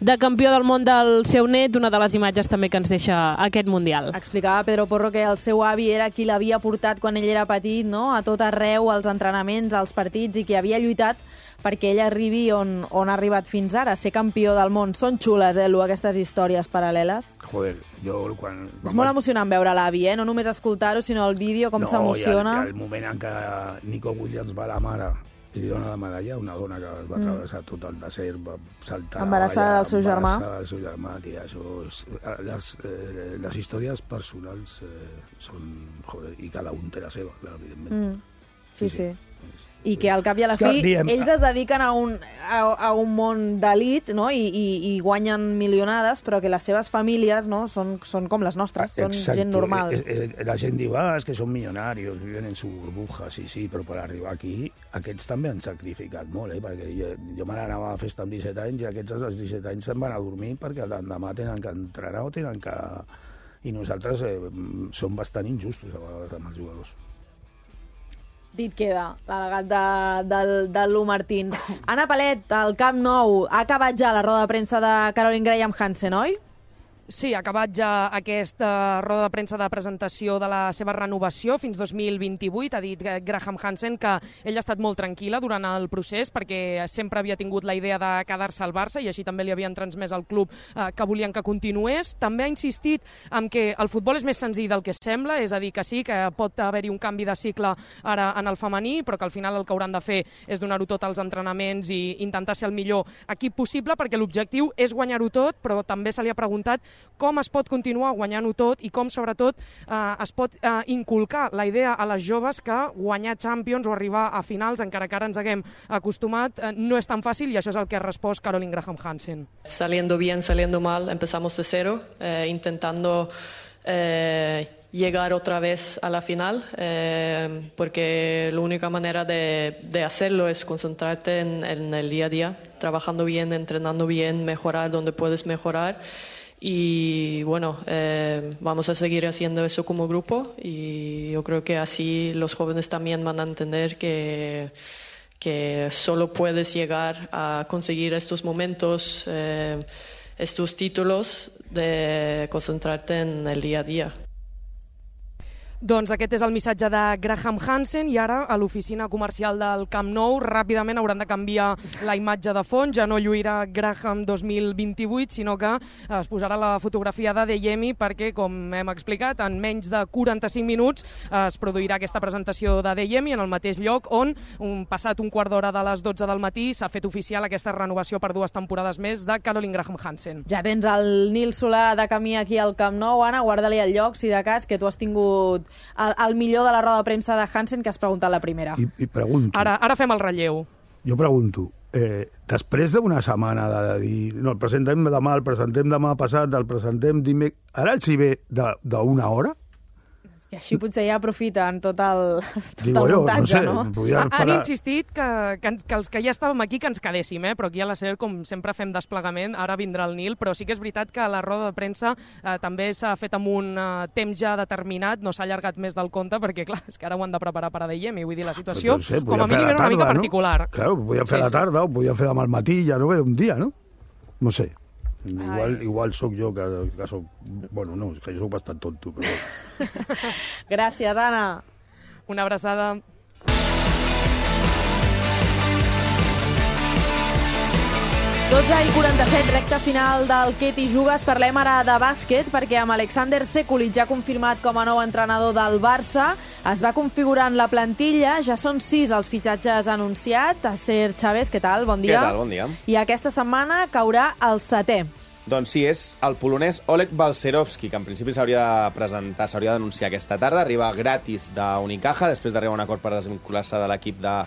S23: de campió del món del seu net, una de les imatges també que ens deixa aquest Mundial.
S4: Explicava Pedro Porro que el seu avi era qui l'havia portat quan ell era petit, no?, a tot arreu, als entrenaments, als partits, i que havia lluitat perquè ell arribi on ha arribat fins ara, ser campió del món. Són xules, aquestes històries paral·leles.
S3: Joder, jo quan...
S4: És molt emocionant veure l'avi, no només escoltar-ho, sinó el vídeo, com s'emociona.
S3: No, i el moment en què Nico Williams va a la mare i li dona la medalla, una dona que va travessar tot el desert, va saltar...
S4: Embarassada del seu germà.
S3: Embarassada del seu germà, tia, això és... Les històries personals són... Joder, i cada un té la seva, clar, evidentment.
S4: Sí. I que al cap i a la fi ells es dediquen a un món d'elit, no? I guanyen milionades, però que les seves famílies, no? són com les nostres, són gent normal.
S3: La gent diu, és que són milionaris, viven en su burbuja, sí, però per arribar aquí, aquests també han sacrificat molt, perquè jo me n'anava a festa amb 17 anys i aquests als 17 anys se'n van a dormir perquè l'endemà tenen que entrenar o tenen que... I nosaltres som bastant injustos a vegades amb els jugadors.
S4: Dit queda, l'al·legat del Lu Martín. Anna Palet, al Camp Nou, ha acabat ja la roda de premsa de Caroline Graham Hansen, oi?
S1: Sí, ha acabat ja aquesta roda de premsa de presentació de la seva renovació fins 2028. Ha dit Graham Hansen que ella ha estat molt tranquil·la durant el procés perquè sempre havia tingut la idea de quedar-se al Barça i així també li havien transmès al club que volien que continués. També ha insistit en que el futbol és més senzill del que sembla, és a dir, que sí, que pot haver-hi un canvi de cicle ara en el femení, però que al final el que hauran de fer és donar-ho tot als entrenaments i intentar ser el millor equip possible perquè l'objectiu és guanyar-ho tot, però també se li ha preguntat com es pot continuar guanyant-ho tot i com, sobretot, es pot inculcar la idea a les joves que guanyar Champions o arribar a finals, encara que ara ens haguem acostumat, no és tan fàcil i això és el que ha respost Caroline Graham Hansen.
S10: Saliendo bien, saliendo mal, empezamos de cero, intentando llegar otra vez a la final, porque la única manera de hacerlo es concentrarte en el día a día, trabajando bien, entrenando bien, mejorar donde puedes mejorar. Y bueno, vamos a seguir haciendo eso como grupo y yo creo que así los jóvenes también van a entender que solo puedes llegar a conseguir estos momentos, estos títulos, de concentrarte en el día a día.
S1: Doncs aquest és el missatge de Graham Hansen i ara a l'oficina comercial del Camp Nou ràpidament hauran de canviar la imatge de fons, ja no lluirà Graham 2028, sinó que es posarà la fotografia d'Adeyemi perquè, com hem explicat, en menys de 45 minuts es produirà aquesta presentació d'Adeyemi en el mateix lloc on, passat un quart d'hora de les 12 del matí, s'ha fet oficial aquesta renovació per 2 temporades més de Caroline Graham Hansen.
S4: Ja tens el Nil Solà de camí aquí al Camp Nou, Anna, guarda-li el lloc, si de cas, que tu has tingut el millor de la roda de premsa de Hansen que has preguntat la primera.
S3: I pregunto...
S1: Ara fem el relleu.
S3: Jo pregunto, després d'una setmana de dir no, el presentem demà passat, el presentem dimecres... Ara els hi ve d'una hora?
S4: I així potser ja aprofiten tot el muntatge, no?
S1: Han insistit que els que ja estàvem aquí que ens quedéssim, però aquí a la SER, com sempre fem desplegament, ara vindrà el Nil, però sí que és veritat que la roda de premsa també s'ha fet amb un temps ja determinat, no s'ha allargat més del compte, perquè clar, és que ara ho han de preparar per a Adeyemi, vull dir, la situació com a mínim era una mica particular.
S3: Claro, ho podien fer a la tarda, ho podien fer demà al matí, ja no ve un dia, no? No sé. Igual sóc jo que sóc... Bueno, no, és que jo sóc bastant tonto, però...
S4: Gràcies, Anna.
S1: Una abraçada.
S4: i 47, recta final del Què t'hi jugues. Parlem ara de bàsquet, perquè amb Alexander Sekulic ja confirmat com a nou entrenador del Barça, es va configurant la plantilla, ja són 6 els fitxatges anunciats. Aser Chávez, què tal? Bon dia.
S2: Què tal? Bon dia.
S4: I aquesta setmana caurà el 7è.
S2: Doncs sí, és el polonès Oleg Balcerowski, que en principi s'hauria de presentar, s'hauria d'anunciar aquesta tarda. Arriba gratis d'Unicaja, després d'arribar a un acord per desvincular-se de l'equip de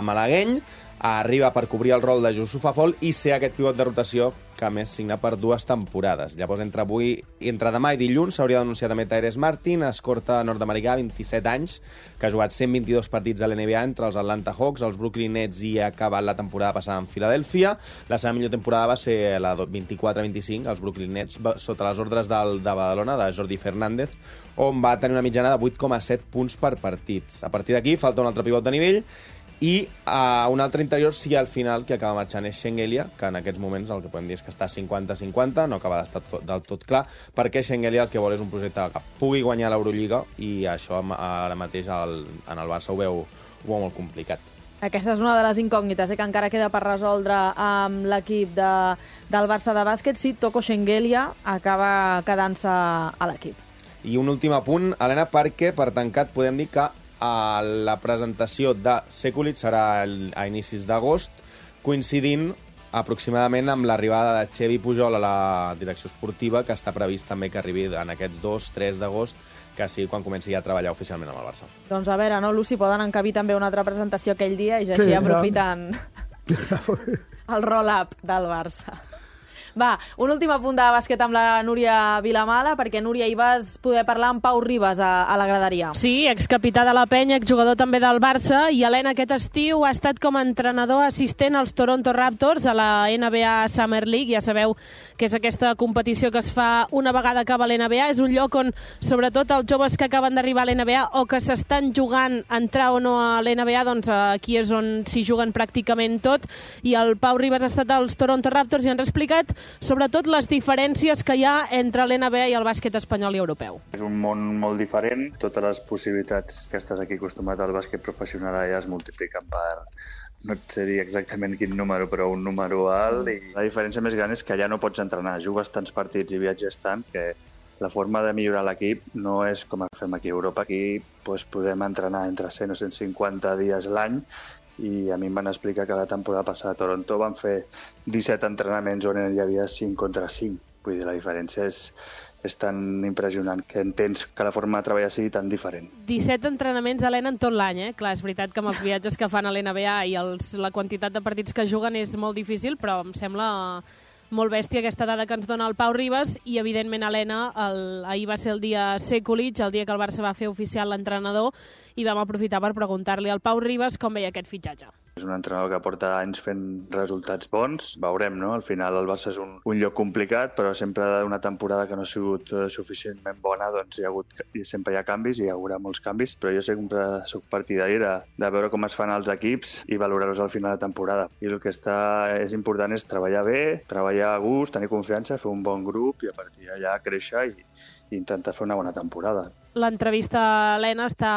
S2: malagueny. Arriba per cobrir el rol de Youssoufa Fall i ser aquest pivot de rotació que a més signa per 2 temporades. Llavors, entre demà i dilluns s'hauria d'anunciar també Tyrese Martin, escorta nord-americà, 27 anys, que ha jugat 122 partits de l'NBA entre els Atlanta Hawks, els Brooklyn Nets i ha acabat la temporada passada en Filadèlfia. La seva millor temporada va ser la 24-25, els Brooklyn Nets, sota les ordres de Badalona, de Jordi Fernández, on va tenir una mitjana de 8,7 punts per partits. A partir d'aquí falta un altre pivot de nivell i un altre interior sí al final que acaba marxant és Shengelia, que en aquests moments el que podem dir és que està 50-50, no acaba d'estar del tot clar, perquè Shengelia el que vol és un projecte que pugui guanyar l'Eurolliga i això ara mateix en el Barça ho veu molt complicat.
S4: Aquesta és una de les incògnites que encara queda per resoldre amb l'equip del Barça de bàsquet, si Toko Shengelia acaba quedant-se a l'equip.
S2: I un últim apunt, Helena, perquè per tancat podem dir que la presentació de Sekulic serà a inicis d'agost, coincidint aproximadament amb l'arribada de Xevi Pujol a la direcció esportiva, que està previst també que arribi en aquests 2-3 d'agost, que sigui quan comenci a treballar oficialment amb el Barça.
S4: Doncs a veure, no, Lucy, poden encabir també una altra presentació aquell dia i ja així aprofiten el roll-up del Barça. Va, un últim apunt de bàsquet amb la Núria Vilamala, perquè, Núria, hi vas poder parlar amb Pau Ribas a la graderia.
S23: Sí, excapità de la Penya, exjugador també del Barça, i Helena aquest estiu ha estat com a entrenador assistent als Toronto Raptors a la NBA Summer League. Ja sabeu que és aquesta competició que es fa una vegada acaba l'NBA. És un lloc on, sobretot, els joves que acaben d'arribar a l'NBA o que s'estan jugant a entrar o no a l'NBA, doncs aquí és on s'hi juguen pràcticament tot. I el Pau Ribas ha estat als Toronto Raptors i ens ha explicat sobretot les diferències que hi ha entre l'NBA i el bàsquet espanyol i europeu.
S6: És un món molt diferent, totes les possibilitats que estàs aquí acostumat al bàsquet professional ja es multipliquen per, no et sé dir exactament quin número, però un número alt, i la diferència més gran és que allà no pots entrenar, jugues tants partits i viatges tant que la forma de millorar l'equip no és com fem aquí a Europa. Aquí podem entrenar entre 100 o 150 dies l'any, i a mi em van explicar que la temporada passada a Toronto van fer 17 entrenaments on hi havia 5 contra 5. Vull dir, la diferència és tan impressionant que entens que la forma de treballar sigui tan diferent.
S23: 17 entrenaments, Helena, en tot l'any, Clar, és veritat que amb els viatges que fan a l'NBA i la quantitat de partits que juguen és molt difícil, però em sembla molt bèstia aquesta dada que ens dona el Pau Ribas. I, evidentment, Helena, ahir va ser el dia Sekulic, el dia que el Barça va fer oficial l'entrenador, i vam aprofitar per preguntar-li al Pau Ribas com veia aquest fitxatge.
S6: És un entrenador que porta anys fent resultats bons. Veurem, no? Al final el Barça és un lloc complicat, però sempre una temporada que no ha sigut suficientment bona, doncs sempre hi ha canvis i hi haurà molts canvis, però jo sempre soc partidari de veure com es fan els equips i valorar-los al final de temporada. I el que és important és treballar bé, treballar a gust, tenir confiança, fer un bon grup i a partir d'allà créixer i intentar fer una bona temporada.
S23: L'entrevista a Helena està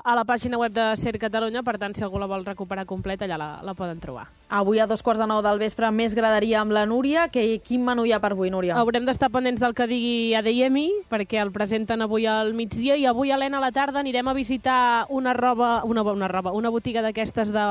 S23: a la pàgina web de Ser Catalunya, per tant, si algú la vol recuperar completa, allà la poden trobar.
S4: Avui a 9:15 del vespre més graderia amb la Núria. Quin menú hi ha per avui, Núria?
S23: Haurem d'estar pendents del que digui Adeyemi, perquè el presenten avui al migdia, i avui, Helena, a la tarda anirem a visitar una botiga d'aquestes de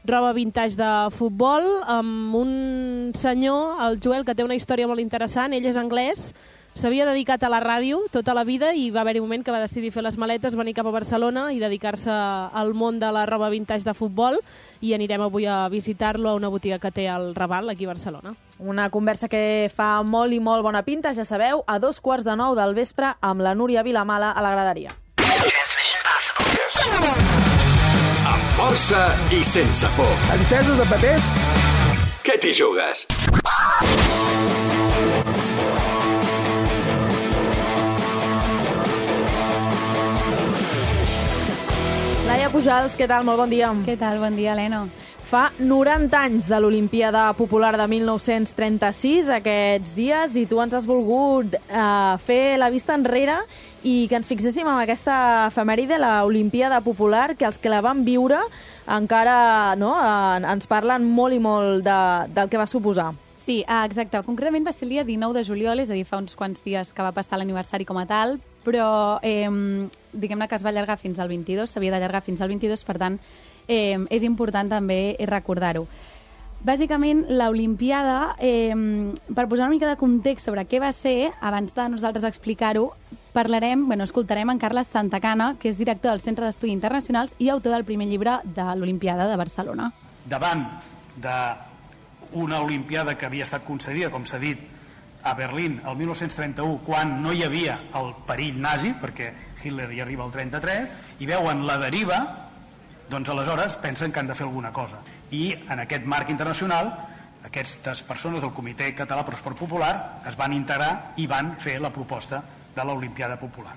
S23: roba vintage de futbol, amb un senyor, el Joel, que té una història molt interessant. Ell és anglès, s'havia dedicat a la ràdio tota la vida i va haver-hi un moment que va decidir fer les maletes, venir cap a Barcelona i dedicar-se al món de la roba vintage de futbol, i anirem avui a visitar-lo a una botiga que té al Raval, aquí a Barcelona.
S4: Una conversa que fa molt i molt bona pinta, ja sabeu, a 8:45 del vespre amb la Núria Vilamala a la graderia.
S14: Amb força i sense por.
S8: Entesos de papers?
S14: Què t'hi jugues?
S4: Laia Pujals, què tal? Molt bon dia.
S9: Què tal? Bon dia, Helena.
S4: Fa 90 anys de l'Olimpíada Popular de 1936, aquests dies, i tu ens has volgut fer la vista enrere i que ens fixéssim en aquesta efemèride, l'Olimpíada Popular, que els que la van viure encara ens parlen molt i molt del que va suposar.
S9: Sí, exacte. Concretament va ser el dia 19 de juliol, és a dir, fa uns quants dies que va passar l'aniversari com a tal, però diguem-ne que es va allargar fins al 22, s'havia d'allargar fins al 22, per tant, és important també recordar-ho. Bàsicament, l'Olimpíada, per posar una mica de context sobre què va ser, abans de nosaltres explicar-ho, escoltarem en Carles Santacana, que és director del Centre d'Estudis Internacionals i autor del primer llibre de l'Olimpíada de Barcelona.
S11: Davant d'una Olimpiada que havia estat concedida, com s'ha dit, a Berlín el 1931, quan no hi havia el perill nazi, perquè Hitler hi arriba al 33, i veuen la deriva, doncs aleshores pensen que han de fer alguna cosa. I en aquest marc internacional, aquestes persones del Comitè Català per l'Esport Popular es van integrar i van fer la proposta de l'Olimpiada Popular.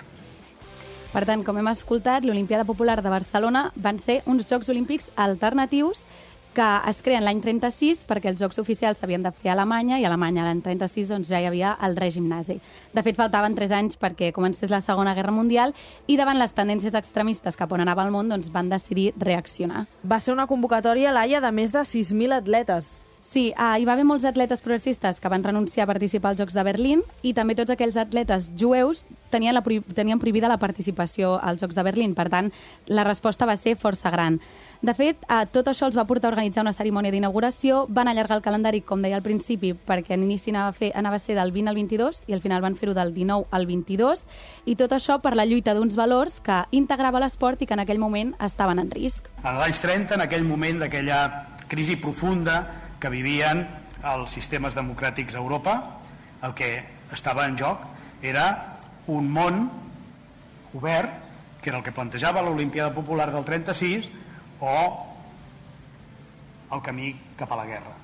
S9: Per tant, com hem escoltat, l'Olimpiada Popular de Barcelona van ser uns Jocs Olímpics alternatius que es creen l'any 36 perquè els Jocs oficials s'havien de fer a Alemanya, i a Alemanya l'any 36 doncs, ja hi havia el règim nazi. De fet, faltaven 3 anys perquè comencés la Segona Guerra Mundial, i davant les tendències extremistes cap on anava el món, doncs, van decidir reaccionar.
S4: Va ser una convocatòria, Laia, de més de 6.000 atletes.
S9: Sí, hi va haver molts atletes progressistes que van renunciar a participar als Jocs de Berlín i també tots aquells atletes jueus tenien prohibida la participació als Jocs de Berlín. Per tant, la resposta va ser força gran. De fet, tot això els va portar a organitzar una cerimònia d'inauguració, van allargar el calendari, com deia al principi, perquè en inici anava a ser del 20 al 22 i al final van fer-ho del 19 al 22, i tot això per la lluita d'uns valors que integrava l'esport i que en aquell moment estaven en risc.
S11: En els anys 30, en aquell moment d'aquella crisi profunda que vivien els sistemes democràtics a Europa, el que estava en joc era un món obert, que era el que plantejava l'Olimpiada Popular del 36 o el camí cap a la guerra.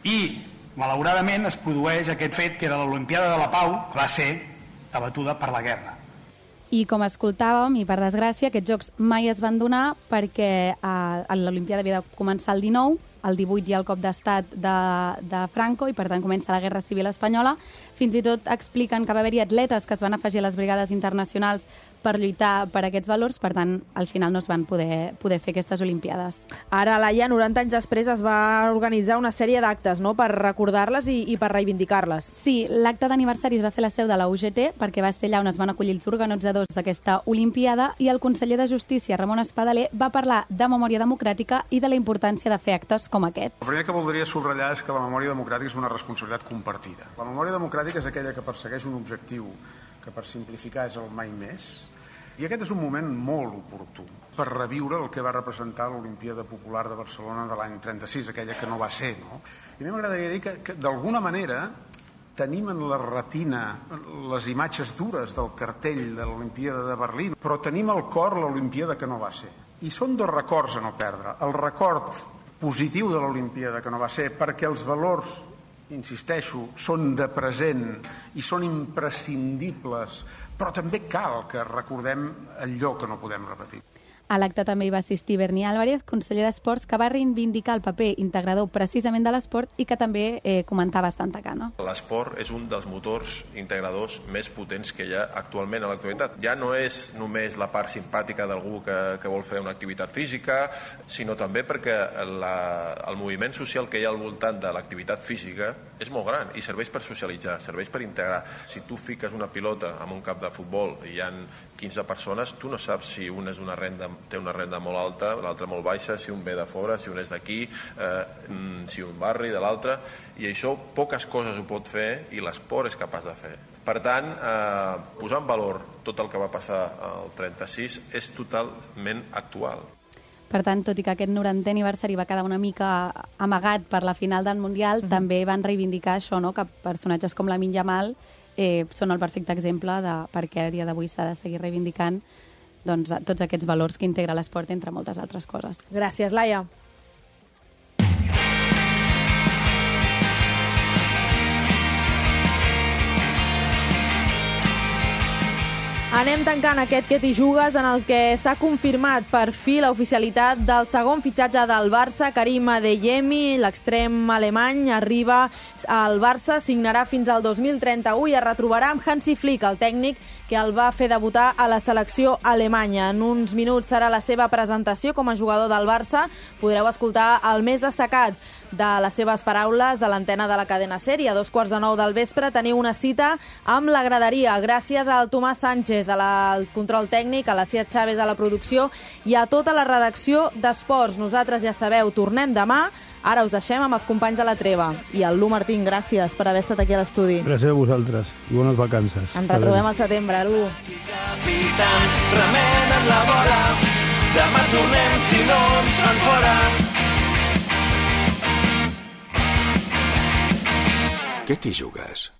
S11: I, malauradament, es produeix aquest fet que era l'Olimpiada de la Pau, que va ser abatuda per la guerra.
S9: I com escoltàvem, i per desgràcia, aquests jocs mai es van donar perquè l'Olimpiada havia de començar el 19, el 18 hi ha el cop d'estat de Franco i per tant comença la Guerra Civil Espanyola. Fins i tot expliquen que va haver-hi atletes que es van afegir a les brigades internacionals per lluitar per aquests valors, per tant, al final no es van poder fer aquestes Olimpiades.
S4: Ara, Laia, 90 anys després es va organitzar una sèrie d'actes, no?, per recordar-les i per reivindicar-les.
S9: Sí, l'acte d'aniversari es va fer a la seu de la UGT perquè va ser allà on es van acollir els organitzadors d'aquesta Olimpiada i el conseller de Justícia, Ramon Espadaler, va parlar de memòria democràtica i de la importància de fer actes com aquest.
S7: El primer que voldria subratllar és que la memòria democràtica és una responsabilitat compartida. La memòria democràtica és aquella que persegueix un objectiu que, per simplificar, és el mai més. I aquest és un moment molt oportú per reviure el que va representar l'Olimpiada Popular de Barcelona de l'any 36, aquella que no va ser, no? I a mi m'agradaria dir que d'alguna manera tenim en la retina les imatges dures del cartell de l'Olimpiada de Berlín, però tenim al cor l'Olimpiada que no va ser. I són dos records a no perdre. El record positiu de l'Olimpiada que no va ser, perquè els valors, insisteixo, són de present i són imprescindibles, però també cal que recordem allò que no podem repetir.
S9: A l'acte també hi va assistir Berni Álvarez, conseller d'Esports, que va reivindicar el paper integrador precisament de l'esport i que també comentava Santa Cana.
S8: L'esport és un dels motors integradors més potents que hi ha actualment a l'actualitat. Ja no és només la part simpàtica d'algú que vol fer una activitat física, sinó també perquè el moviment social que hi ha al voltant de l'activitat física és molt gran i serveix per socialitzar, serveix per integrar. Si tu fiques una pilota en un camp de futbol i hi ha 15 persones, tu no saps si una té una renda molt alta, l'altra molt baixa, si un ve de fora, si un és d'aquí, si un barri de l'altre, i això poques coses ho pot fer i l'esport és capaç de fer. Per tant, posar en valor tot el que va passar al 36 és totalment actual.
S9: Per tant, tot i que aquest 90è aniversari va quedar una mica amagat per la final del Mundial, també van reivindicar això, no?, que personatges com Lamine Yamal són el perfecte exemple de per què a dia d'avui s'ha de seguir reivindicant tots aquests valors que integra l'esport, entre moltes altres coses.
S4: Gràcies, Laia. Anem tancant aquest Que t'hi jugues, en el que s'ha confirmat per fi l'oficialitat del segon fitxatge del Barça. Karim Adeyemi, l'extrem alemany, arriba al Barça, signarà fins al 2031 i es retrobarà amb Hansi Flick, el tècnic que el va fer debutar a la selecció alemanya. En uns minuts serà la seva presentació com a jugador del Barça. Podreu escoltar el més destacat de les seves paraules a l'antena de la cadena SER. A 9:15 del vespre teniu una cita amb la graderia. Gràcies al Tomàs Sánchez del control tècnic, a la Cia Chávez de la producció i a tota la redacció d'Esports. Nosaltres, ja sabeu, tornem demà. Ara us deixem amb els companys de la treva. I el Lu Martín, gràcies per haver estat aquí a l'estudi.
S3: Gràcies a vosaltres i bones vacances.
S4: Ens retrobem al setembre, Lu.
S12: Capitans remenen la bola. Demà tornem si no ens fan fora.
S14: Què t'hi jugues?